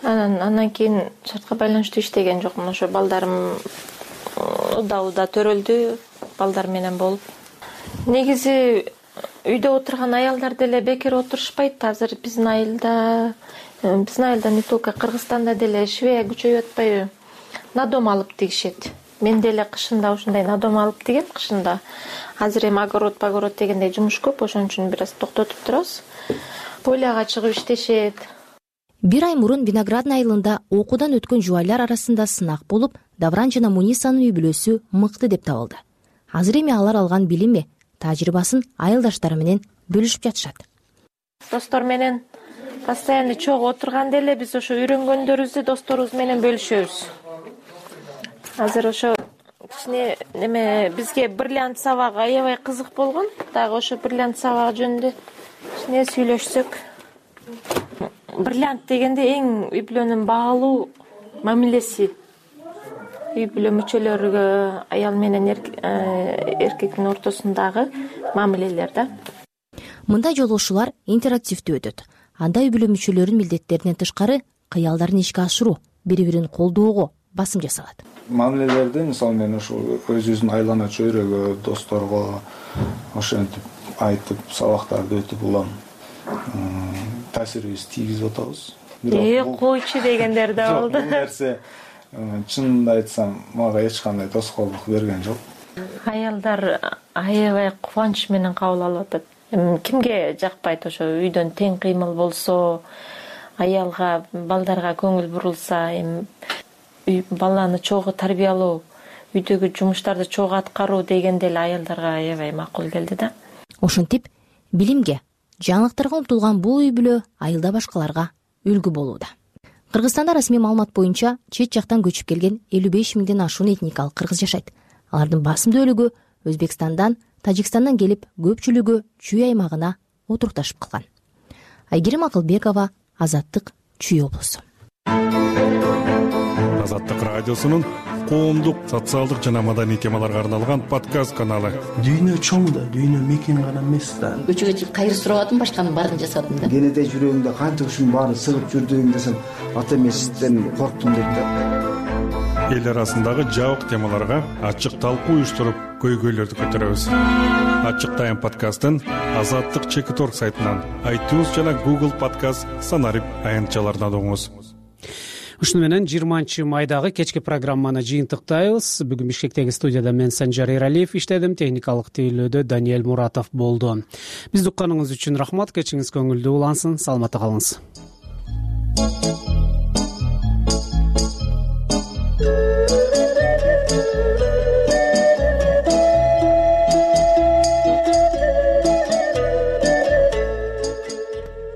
Анан андан кийин шартка байланыштуу иштеген жокмун. Ошо балдарым уда-уда төрөлдү, балдар менен болуп. Негизи үйдө отурган аялдар деле бекер отурушпайт. Азыр биздин айылда, биздин айылда не только Кыргызстанда деле швея күчөйүп атпайбы? Надом алып тигишет. Мен деле кышында ушундай надом алып тигем кышында. Азыр эми огород, погород дегендей жумуш көп, ошон үчүн бир аз токтотуп турабыз. Поляга чыгып иштешет. Бир ай мурун Виноградный айылында окуудан өткөн жубайлар арасында сынак болуп, Давран жана Мунисанын үй бүлөсү мыкты деп табылды. Азыр эми алар алган билими, тажрыйбасын айылдаштары менен бөлүшүп жатышат. Достор менен постоянно чогуу отурганда эле биз ошо үйрөнгөндөрүбүздү досторубуз менен бөлүшөбүз. Азыр ошо кичине неме бизге бриллиант сабагы аябай кызык болгон. Дагы ошо бриллиант сабагы жөнүндө кичине сүйлөшсөк. Бриллиант дегенде эң үй бүлөнүн баалуу мамилеси. Үй бүлө мүчөлөрүгө аял менен эркектин ортосундагы мамилелер да. Мындай жолугушуулар интерактивдүү өтөт. Анда үй бүлө мүчөлөрүнүн милдеттеринен тышкары кыялдарын ишке ашыруу, бири-бирин колдоого басым жасалат. Мамилелерди мисалы мен ушул өзүбүздүн айлана чөйрөгө, досторго ошентип айтып, сабактарды өтүп улам таасирибизди тийгизип атабыз. Э, койчу дегендер да болду. Бул нерсе чынымды айтсам, мага эч кандай тоскоолдук берген жок. Аялдар аябай кубанч менен кабыл алып атат. Кимге жакпайт ошо үйдөн тең кыймыл болсо, аялга, балдарга көңүл бурулса, эми баланы чогуу тарбиялоо, үйдөгү жумуштарды чогуу аткаруу деген деле аялдарга аябай макул келди да. Ошентип билимге, жаңылыктарга умтулган бул үй бүлө айылда башкаларга үлгү болууда. Кыргызстанда расмий маалымат боюнча чет жактан көчүп келген элүү беш миңден ашуун этникалык кыргыз жашайт. Алардын басымдуулугу Өзбекстандан, Тажикстандан келип, көпчүлүгү Чүй аймагына отурукташып калган. Айгерим Акылбекова, Азаттык, Чүй облусу. Азаттык радиосунун коомдук, социалдык жана маданий темаларга арналган подкаст каналы. Дүйнө чоң да, дүйнө мекен гана эмес да. Көчөгө чыгып кайыр сурабадым, башканын баарын жасадым да. Кенеде жүрөгүңдө канча ушунун баары сыгып жүрдүң десем, ата эмесизден корктум дейт да. Эл арасындагы жабык темаларга ачык талкуу уюштуруп, көйгөйлөрдү көтөрөбүз. Ачык Тайм подкастын Азаттык чекит точка орг сайтынан, iTunes жана Google подкаст санарип аянтчаларынан угуңуз. Ушуну менен жыйырманчы майдагы кечки программаны жыйынтыктайбыз. Бүгүн Бишкектеги студияда мен Санжар Эралиев иштедим, техникалык тейлөөдө Даниэль Муратов болду. Бизди укканыңыз үчүн рахмат, кечиңиз көңүлдүү улансын, саламатта калыңыз.